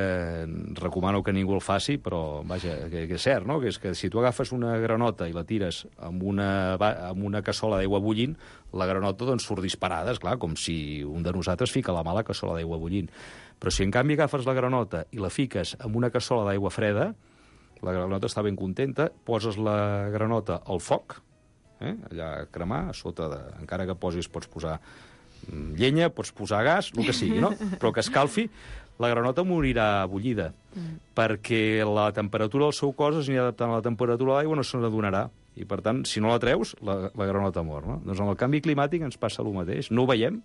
recomano que ningú el faci, però, vaja, que és cert, no? Que és que si tu agafes una granota i la tires amb una cassola d'aigua bullint, la granota doncs surt disparada, esclar, com si un de nosaltres fica la mà a la cassola d'aigua bullint. Però si en canvi agafes la granota i la fiques amb una cassola d'aigua freda, la granota està ben contenta, poses la granota al foc, allà a cremar, a sota encara que pots posar llenya, pots posar gas, el que sigui, no? Però que escalfi, la granota morirà bullida, perquè la temperatura del seu cos es anirà adaptant a la temperatura de l'aigua, no se n'adonarà. I, per tant, si no la treus, la granota mor, no? Doncs amb el canvi climàtic ens passa el mateix. No ho veiem,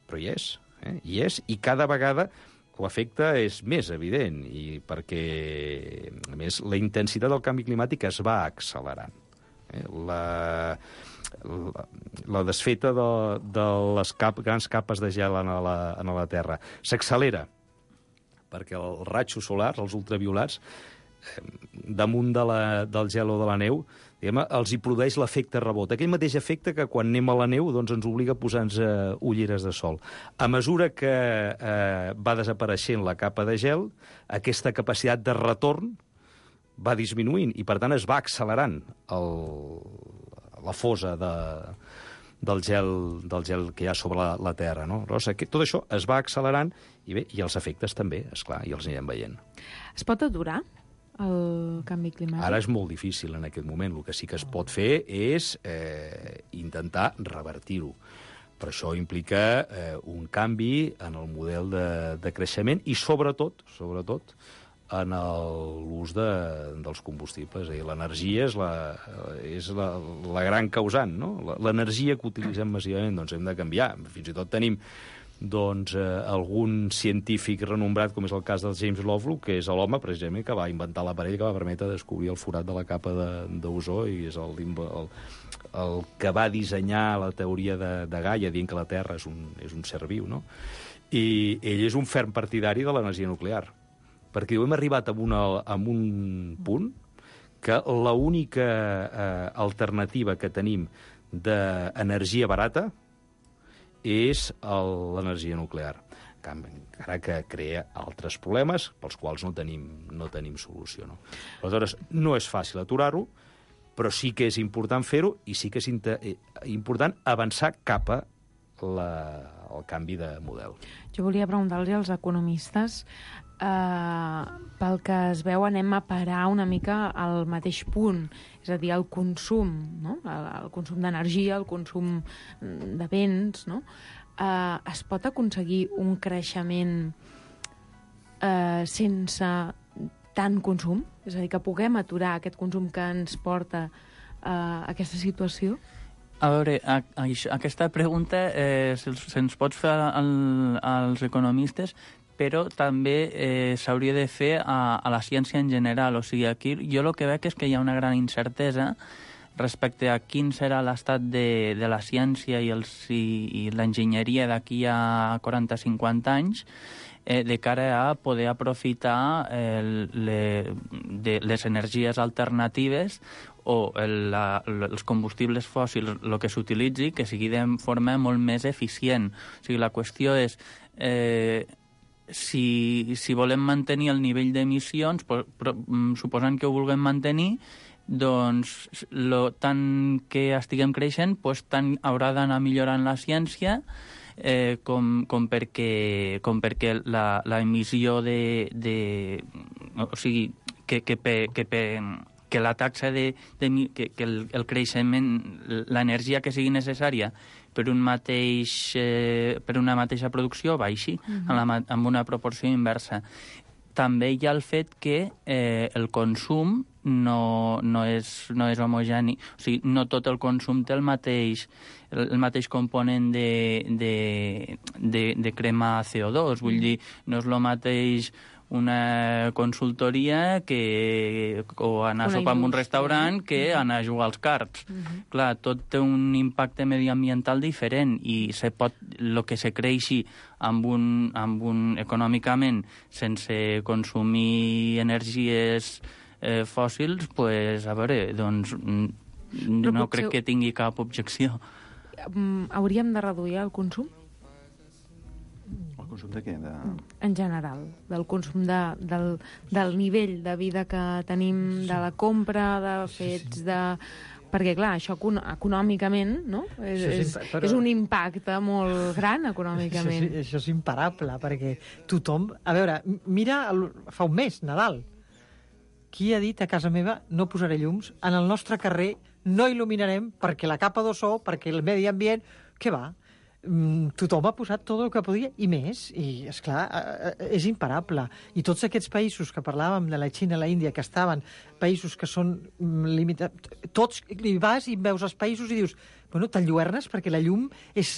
però hi és, i cada vegada l'efecte és més evident, i perquè, a més, la intensitat del canvi climàtic es va accelerant. La desfeta de les grans capes de gel en la Terra s'accelera perquè els rajos solars, els ultraviolats, damunt del gel o de la neu, els hi produeix l'efecte rebot. Aquell mateix efecte que quan anem a la neu doncs ens obliga a posar-nos ulleres de sol. A mesura que va desapareixent la capa de gel, aquesta capacitat de retorn va disminuint i, per tant, es va accelerant la fosa del gel que hi ha sobre la Terra. No? Tot això es va accelerant i els efectes també, esclar, i els anirem veient. Es pot aturar el canvi climàtic? Ara és molt difícil en aquest moment. El que sí que es pot fer és intentar revertir-ho. Però això implica un canvi en el model de creixement i, sobretot, en l'ús dels combustibles. L'energia és la gran causant, no? L'energia que utilitzem massivament doncs hem de canviar. Fins i tot tenim algun científic renombrat, com és el cas del James Lovelock, que és l'home, precisament, que va inventar l'aparell que va permetre descobrir el forat de la capa d'ozó i és el que va dissenyar la teoria de Gaia, dient que la Terra és un ser viu, no? I ell és un ferm partidari de l'energia nuclear, perquè hem arribat a un punt que l'única alternativa que tenim d'energia barata és l'energia nuclear, encara que crea altres problemes pels quals no tenim solució. No? Aleshores, no és fàcil aturar-ho, però sí que és important fer-ho i sí que és important avançar cap al canvi de model. Jo volia preguntar-los als economistes, pel que es veu anem a parar una mica al mateix punt, és a dir, el consum, no? El consum d'energia, el consum de béns, no? Es pot aconseguir un creixement sense tant consum? És a dir, que puguem aturar aquest consum que ens porta a aquesta situació? A veure, aquesta pregunta se'ns pot fer als economistes, però també s'hauria de fer a la ciència en general. O sigui, aquí jo el que veig és que hi ha una gran incertesa respecte a quin serà l'estat de la ciència i l'enginyeria d'aquí a 40-50 anys, de cara a poder aprofitar les energies alternatives o els combustibles fòssils, el que s'utilitzi, que sigui de forma molt més eficient. O sigui, la qüestió és si volem mantenir el nivell d'emissions, suposant que ho vulguem mantenir, doncs tant que estiguem creixent, tant haurà d'anar millorant la ciència com perquè l'emissió o sigui, que la taxa que el creixement, l'energia que sigui necessària per una mateixa producció baixi amb una proporció inversa. També hi ha el fet que el consum no és homogeni, o sigui, no tot el consum té el mateix component de cremar CO2, vull dir, no és el mateix una consultoria o anar a sopar en un restaurant que anar a jugar als cards. Clar, tot té un impacte mediambiental diferent i el que se creixi econòmicament sense consumir energies fòssils, pues, a veure, doncs no crec que tingui cap objecció. Hauríem de reduir el consum? El consum de què? En general, del consum del nivell de vida que tenim, de la compra, de fets, perquè, clar, això econòmicament, no? És un impacte molt gran econòmicament. Això és imparable, perquè tothom... A veure, mira, fa un mes, Nadal. Qui ha dit a casa meva no posaré llums? En el nostre carrer no il·luminarem perquè la capa d'ozó, perquè el medi ambient... Què va? tothom ha posat tot el que podia i més, i esclar, és imparable. I tots aquests països que parlàvem de la Xina, la Índia, que estaven països que són limitats, tots hi vas i veus els països i dius, bueno, t'enlluernes perquè la llum és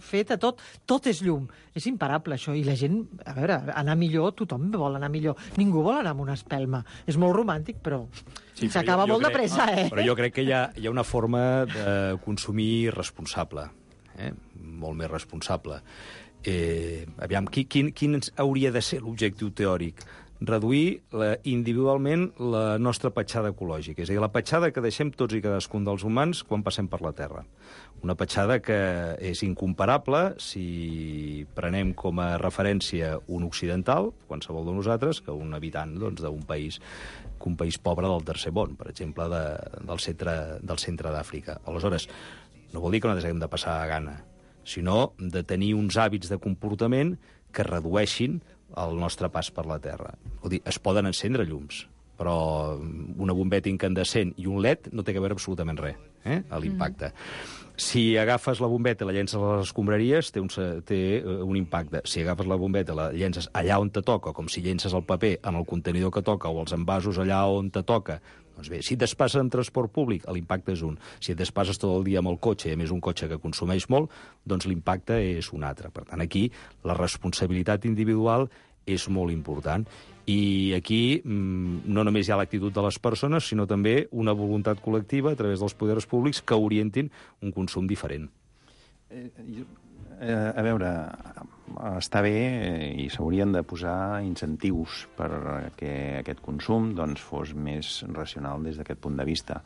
feta, tot és llum. És imparable, això. I la gent, a veure, anar millor, tothom vol anar millor. Ningú vol anar amb una espelma. És molt romàntic, però s'acaba molt de pressa, Però jo crec que hi ha una forma de consumir responsable, molt més responsable. Aviam, quin hauria de ser l'objectiu teòric? Reduir individualment la nostra petjada ecològica, és a dir, la petjada que deixem tots i cadascun dels humans quan passem per la Terra. Una petjada que és incomparable si prenem com a referència un occidental, qualsevol de nosaltres, que un habitant d'un país pobre del tercer món, per exemple, del centre d'Àfrica. Aleshores, no vol dir que nosaltres haguem de passar a gana, sinó de tenir uns hàbits de comportament que redueixin el nostre pas per la Terra. Vull dir, es poden encendre llums, però una bombeta incandescent i un LED no té a veure absolutament res, a l'impacte. Si agafes la bombeta i la llences a les escombraries, té un impacte. Si agafes la bombeta i la llences allà on te toca, com si llences el paper en el contenidor que toca o els envasos allà on te toca, doncs bé, si et despasses en transport públic, l'impacte és un. Si et despasses tot el dia amb el cotxe, i a més un cotxe que consumeix molt, doncs l'impacte és un altre. Per tant, aquí la responsabilitat individual és molt important. I aquí no només hi ha l'actitud de les persones, sinó també una voluntat col·lectiva a través dels poders públics que orientin un consum diferent. A veure, està bé i s'haurien de posar incentius perquè aquest consum fos més racional des d'aquest punt de vista.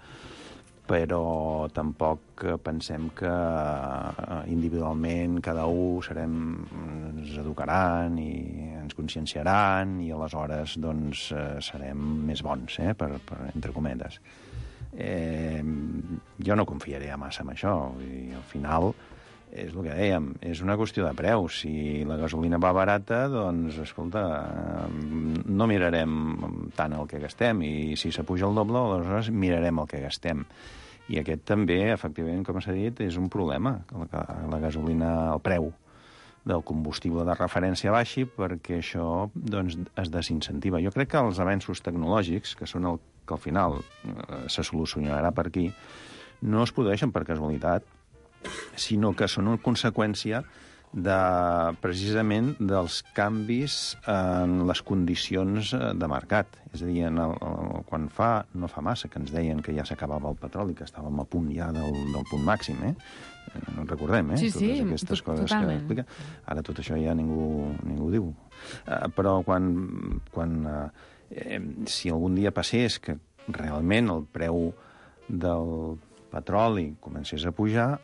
Però tampoc pensem que individualment cada un ens educaran i ens conscienciaran i aleshores serem més bons, entre cometes. Jo no confiaré massa en això. I al final és el que dèiem, és una qüestió de preu. Si la gasolina va barata, doncs, escolta, no mirarem tant el que gastem, i si s'apuja el doble, aleshores mirarem el que gastem. I aquest també, efectivament, com s'ha dit, és un problema, que la gasolina, el preu del combustible de referència baixi, perquè això es desincentiva. Jo crec que els avenços tecnològics, que són el que al final se solucionarà per aquí, no es produeixen per casualitat, sinó que són una conseqüència precisament dels canvis en les condicions de mercat. És a dir, quan no fa massa que ens deien que ja s'acabava el petroli, que estàvem a punt ja del punt màxim, no recordem, Sí, totes aquestes coses totalment. que explica. Ara tot això ja ningú diu. Però si algun dia passés que realment el preu del petroli comencés a pujar,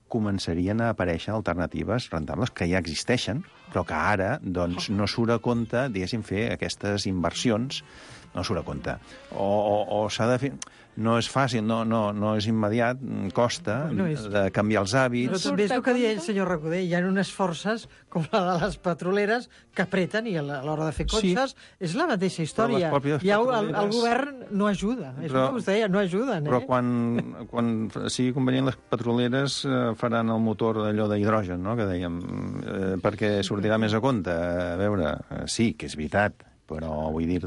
començarien a aparèixer alternatives rentables que ja existeixen, però que ara no surt a compte, diguéssim, fer aquestes inversions, no surt a compte. O s'ha de fer... No és fàcil, no és immediat, costa de canviar els hàbits. Però també és el que deia el senyor Recoder, hi ha unes forces com la de les petroleres que apreten i a l'hora de fer cotxes és la mateixa història. El govern no ajuda, és el que us deia, no ajuden. Però quan sigui convenient, les petroleres faran el motor d'allò d'hidrogen, no?, que dèiem, perquè sortirà més a compte. A veure, sí, que és veritat, però vull dir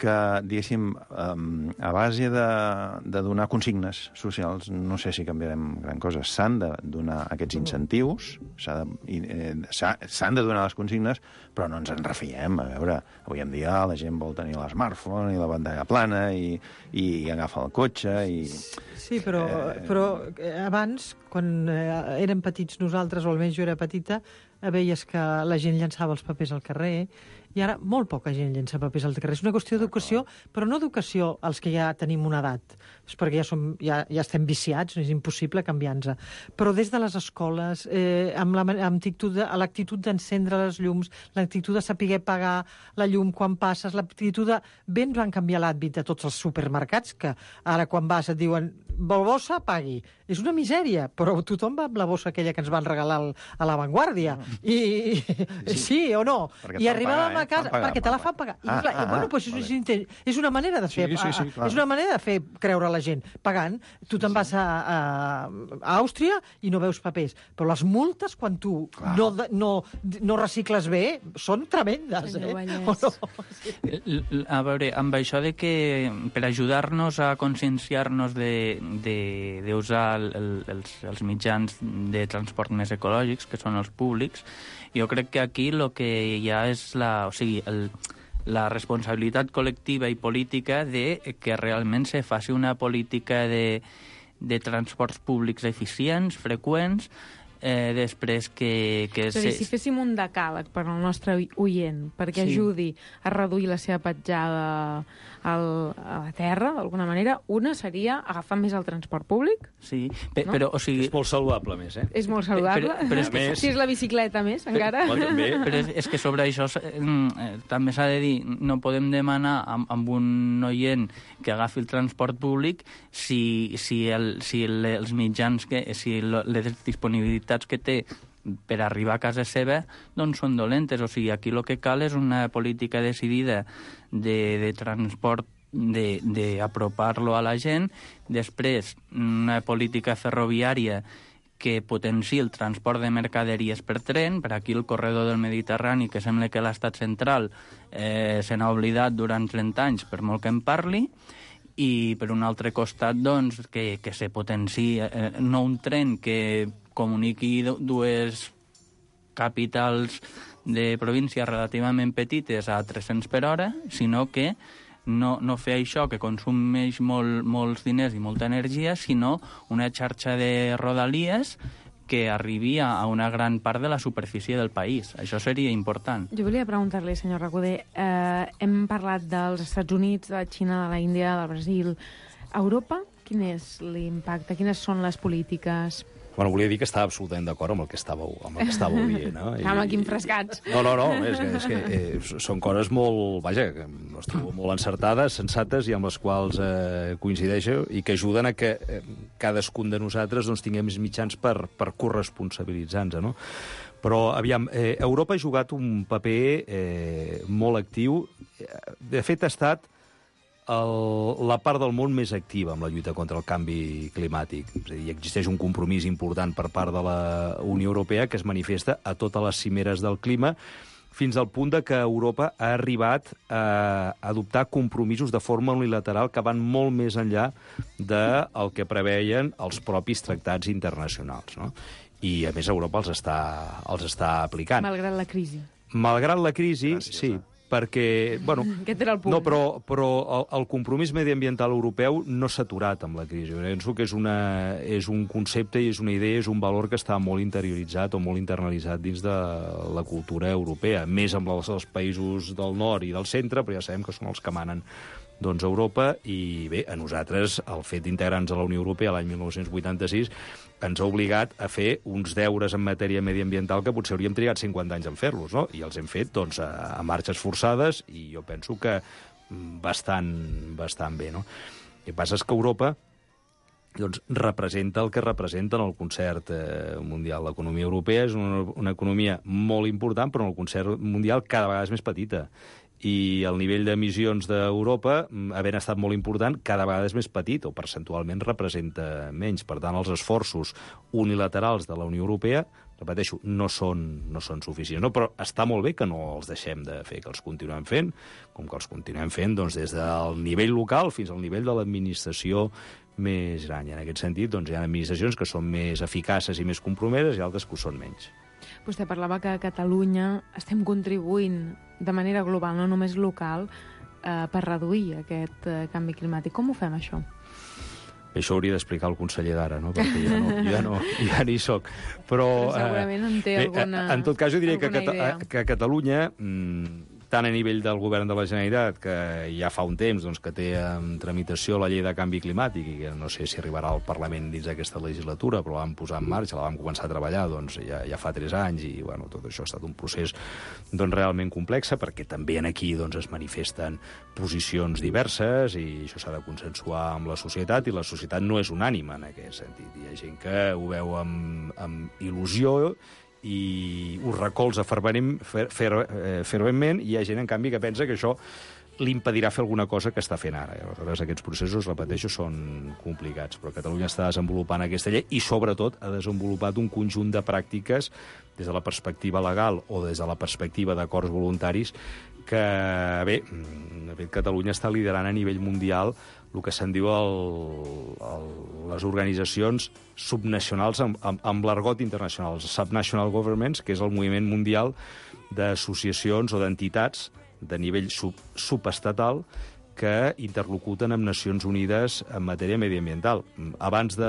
que diguéssim, a base de donar consignes socials, no sé si canviarem gran cosa. S'han de donar aquests incentius, s'han de donar les consignes, però no ens en refiem. A veure, avui en dia la gent vol tenir l'smartphone i la pantalla plana i agafa el cotxe i... Sí, però abans, quan érem petits nosaltres, o almenys jo era petita, veies que la gent llançava els papers al carrer, i ara molt poca gent llença papers al carrer. És una qüestió d'educació, però no educació als que ja tenim una edat, és perquè ja estem viciats, és impossible canviar-nos. Però des de les escoles, amb l'actitud d'encendre les llums, l'actitud de saber pagar la llum quan passes, l'actitud de... Bé ens van canviar l'hàbit de tots els supermercats, que ara quan vas et diuen vol bossa, pagui. És una misèria, però tothom va amb la bossa aquella que ens van regalar a La Vanguardia. Sí o no? I arribàvem la casa perquè te la fan pagar. I clar, bueno, pues és una manera de fer... És una manera de fer creure a la gent. Pagant, tu te'n vas a Àustria i no veus papers. Però les multes, quan tu no recicles bé, són tremendes, A veure, amb això de que per ajudar-nos a conscienciar-nos d'usar els mitjans de transport més ecològics, que són els públics, jo crec que aquí el que hi ha és la responsabilitat col·lectiva i política de que realment se faci una política de transports públics eficients, freqüents, després que... Si féssim un decàleg per al nostre oient, perquè ajudi a reduir la seva petjada a la terra, d'alguna manera, una seria agafar més el transport públic. Sí, però, o sigui... És molt saludable, més, És molt saludable. Però és que, si és la bicicleta, més, encara. Però és que sobre això també s'ha de dir, no podem demanar amb un oient que agafi el transport públic si els mitjans, si les disponibilitats que té per arribar a casa seva doncs són dolentes. O sigui, aquí el que cal és una política decidida de transport, d'apropar-lo a la gent, després una política ferroviària que potenciï el transport de mercaderies per tren. Per aquí el corredor del Mediterrani, que sembla que l'estat central se n'ha oblidat durant 30 anys, per molt que en parli, i per un altre costat doncs, que se potenciï no un tren que comuniqui dues capitals de províncies relativament petites a 300 per hora, sinó que no fer això, que consumeix molts diners i molta energia, sinó una xarxa de rodalies que arribi a una gran part de la superfície del país. Això seria important. Jo volia preguntar-li, senyor Recoder, hem parlat dels Estats Units, de la Xina, de la Índia, del Brasil. A Europa, quin és l'impacte? Quines són les polítiques? Bueno, volia dir que estava absolutament d'acord amb el que estàveu dient, no? Amb aquí enfrescats. No, és que són coses molt, vaja, que les trobo molt encertades, sensates i amb les quals coincideixo i que ajuden a que cadascun de nosaltres doncs, tinguem més mitjans per corresponsabilitzar-nos, no? Però, aviam, Europa ha jugat un paper molt actiu. De fet, ha estat la part del món més activa amb la lluita contra el canvi climàtic. És a dir, existeix un compromís important per part de la Unió Europea que es manifesta a totes les cimeres del clima, fins al punt de que Europa ha arribat a adoptar compromisos de forma unilateral que van molt més enllà del que preveien els propis tractats internacionals, no? I, a més, Europa els està aplicant. Malgrat la crisi. Malgrat la crisi, sí, perquè, bueno, aquest era el punt. No, però el compromís mediambiental europeu no s'ha aturat amb la crisi. Jo penso que és un concepte i és una idea, és un valor que està molt interioritzat o molt internalitzat dins de la cultura europea, més amb els països del nord i del centre, però ja sabem que són els que manen doncs, Europa, i bé, a nosaltres el fet d'integrar-nos a la Unió Europea l'any 1986 ens ha obligat a fer uns deures en matèria mediambiental que potser hauríem trigat 50 anys en fer-los, no? I els hem fet doncs, a marxes forçades i jo penso que bastant bé, no? El que passa és que Europa doncs, representa el que representa en el concert mundial. L'economia europea és una economia molt important, però en el concert mundial cada vegada és més petita. I el nivell d'emissions d'Europa, havent estat molt important, cada vegada és més petit, o percentualment representa menys. Per tant, els esforços unilaterals de la Unió Europea, repeteixo, no són suficients. No, però està molt bé que no els deixem de fer, que els continuem fent, com que els continuem fent doncs, des del nivell local fins al nivell de l'administració més gran. I en aquest sentit doncs, hi ha administracions que són més eficaces i més compromeses i altres que ho són menys. Vostè parlava que a Catalunya estem contribuint de manera global, no només local, per reduir aquest canvi climàtic. Com ho fem, això? Això hauria d'explicar el conseller d'ara, no? Perquè ja n'hi soc. Però segurament en té alguna idea. En tot cas, jo diria que a Catalunya, tant a nivell del govern de la Generalitat, que ja fa un temps doncs, que té en tramitació la llei de canvi climàtic i que no sé si arribarà al Parlament dins d'aquesta legislatura, però la vam posar en marxa, la vam començar a treballar doncs, ja fa 3 anys i bueno, tot això ha estat un procés doncs, realment complex, perquè també aquí doncs, es manifesten posicions diverses i això s'ha de consensuar amb la societat i la societat no és unànime en aquest sentit. Hi ha gent que ho veu amb il·lusió i ho recolza ferventment, i hi ha gent, en canvi, que pensa que això l'impedirà fer alguna cosa que està fent ara. Aleshores, aquests processos, repeteixo, són complicats, però Catalunya està desenvolupant aquesta llei i, sobretot, ha desenvolupat un conjunt de pràctiques des de la perspectiva legal o des de la perspectiva d'acords voluntaris que, bé, de fet, Catalunya està liderant a nivell mundial el que se'n diu les organitzacions subnacionals amb l'argot internacional, els subnational governments, que és el moviment mundial d'associacions o d'entitats de nivell subestatal que interlocuten amb Nacions Unides en matèria mediambiental. Abans de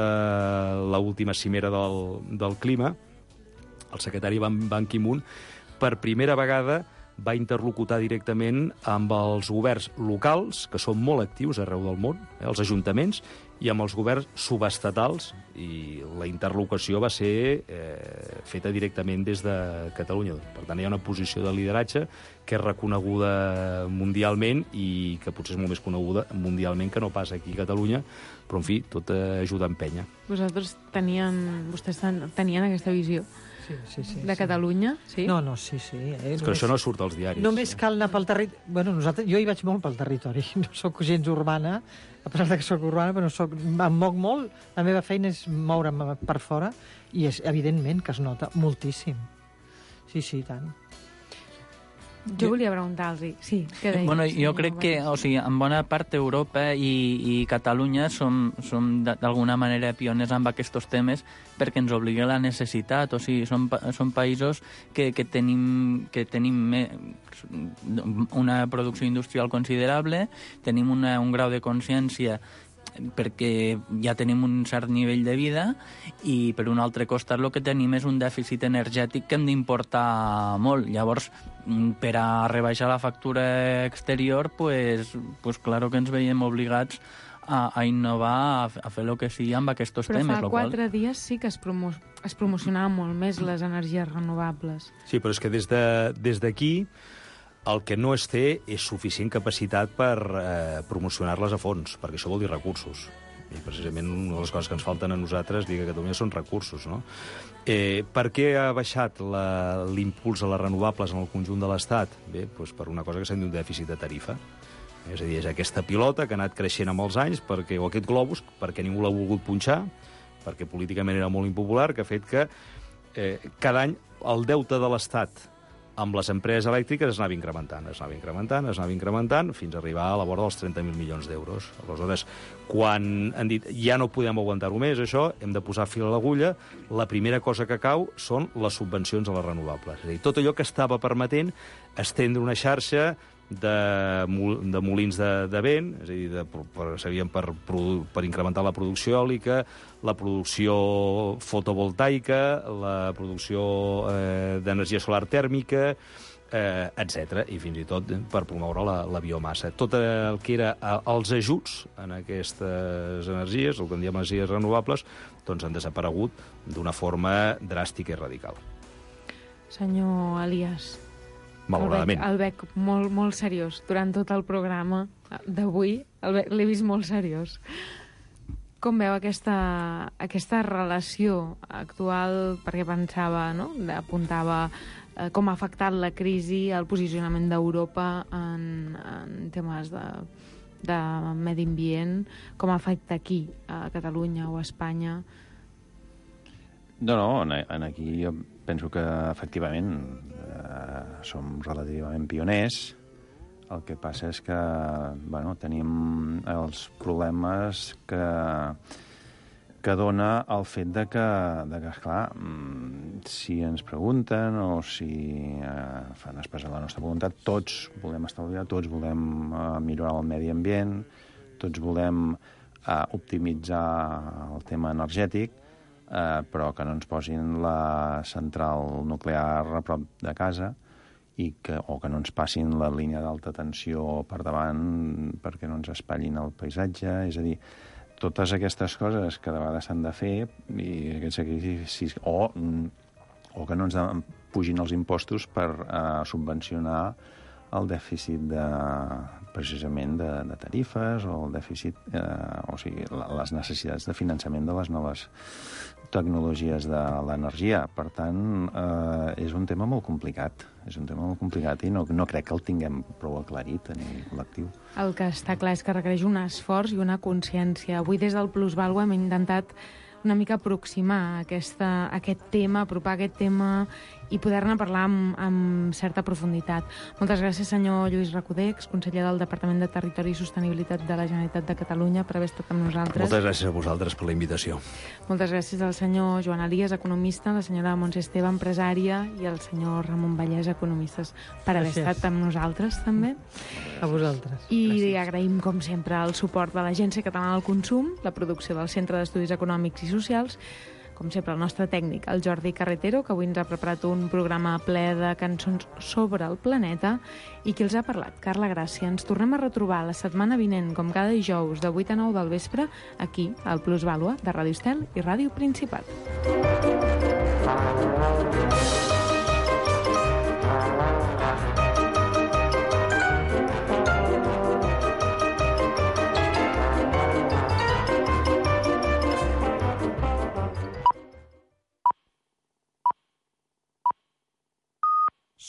l'última cimera del clima, el secretari Ban Ki-moon, per primera vegada, va interlocutar directament amb els governs locals, que són molt actius arreu del món, els ajuntaments, i amb els governs subestatals, i la interlocució va ser feta directament des de Catalunya. Per tant, hi ha una posició de lideratge que és reconeguda mundialment i que potser és molt més coneguda mundialment que no pas aquí a Catalunya, però, en fi, tot ajuda a empènyer. Vostès tenien aquesta visió? Sí. De Catalunya, sí? No, sí. És que això no surt als diaris. Només cal anar pel territori. Bueno, jo hi vaig molt pel territori. No sóc gens urbana, a pesar que sóc urbana, però em moc molt. La meva feina és moure'm per fora i és evidentment que es nota moltíssim. Sí, tant. Jo volia preguntar-los, sí, què deies? Bueno, jo crec que, o sigui, en bona part Europa i Catalunya som d'alguna manera pioners amb aquests temes perquè ens obliga la necessitat, o sigui, som països que tenim una producció industrial considerable, tenim un grau de consciència perquè ja tenim un cert nivell de vida i per un altre costat el que tenim és un dèficit energètic que hem d'importar molt. Llavors, per a rebaixar la factura exterior, pues claro que ens veiem obligats a innovar, a fer el que sigui amb aquests temes. Però fa 4 dies sí que es promocionaven molt més les energies renovables. Sí, però és que des d'aquí el que no es té és suficient capacitat per promocionar-les a fons, perquè això vol dir recursos. I precisament una de les coses que ens falten a nosaltres, dic, a Catalunya, són recursos, no? Per què ha baixat l'impuls a les renovables en el conjunt de l'Estat? Bé, doncs per una cosa que se'n diu un dèficit de tarifa. És a dir, és aquesta pilota que ha anat creixent amb els anys, o aquest globus, perquè ningú l'ha volgut punxar, perquè políticament era molt impopular, que ha fet que cada any el deute de l'Estat amb les empreses elèctriques es anava incrementant, fins a arribar a la vora dels 30.000 milions d'euros. Aleshores, quan han dit ja no podem aguantar-ho més, això, hem de posar fil a l'agulla, la primera cosa que cau són les subvencions a les renovables. És a dir, tot allò que estava permetent estendre una xarxa de molins de vent, és a dir, servien per incrementar la producció eòlica, la producció fotovoltaica, la producció d'energia solar tèrmica, etc. I fins i tot per promoure la biomassa. Tot el que era els ajuts en aquestes energies, el que en diem energies renovables, doncs han desaparegut d'una forma dràstica i radical. Senyor Elias, malauradament. El veig molt, molt seriós. Durant tot el programa d'avui l'he vist molt seriós. Com veu aquesta relació actual? Perquè pensava, no? Apuntava com ha afectat la crisi al posicionament d'Europa en temes de medi ambient, com afecta aquí, a Catalunya o a Espanya? No, aquí jo penso que efectivament som relativament pioners. El que passa és que tenim els problemes que dona el fet de que, esclar, si ens pregunten o si fan expressar la nostra voluntat, tots volem estalviar, tots volem millorar el medi ambient, tots volem optimitzar el tema energètic, però que no ens posin la central nuclear a prop de casa o que no ens passin la línia d'alta tensió per davant perquè no ens espatllin el paisatge. És a dir, totes aquestes coses que de vegades s'han de fer i aquests sacrificis, o que no ens pugin els impostos per subvencionar el dèficit precisament de tarifes o el dèficit, o sigui, les necessitats de finançament de les noves tecnologies de l'energia. Per tant, és un tema molt complicat. És un tema molt complicat i no crec que el tinguem prou aclarit a nivell col·lectiu. El que està clar és que requereix un esforç i una consciència. Avui des del Plusvàlua hem intentat una mica aproximar aquest tema, apropar aquest tema i poder-ne parlar amb certa profunditat. Moltes gràcies, senyor Lluís Recoder, exconseller del Departament de Territori i Sostenibilitat de la Generalitat de Catalunya, per haver estat amb nosaltres. Moltes gràcies a vosaltres per la invitació. Moltes gràcies al senyor Joan Elias, economista, la senyora Montse Esteve, empresària, i al senyor Ramon Vallès, economistes, per haver estat amb nosaltres, també. A vosaltres. I agraïm, com sempre, el suport de l'Agència Catalana del Consum, la producció del Centre d'Estudis Econòmics i Socials, com sempre, el nostre tècnic, el Jordi Carretero, que avui ens ha preparat un programa ple de cançons sobre el planeta, i qui els ha parlat, Carla Gràcia. Ens tornem a retrobar la setmana vinent, com cada dijous, de 8 a 9 del vespre, aquí, al Plusvàlua, de Ràdio Estel i Ràdio Principat.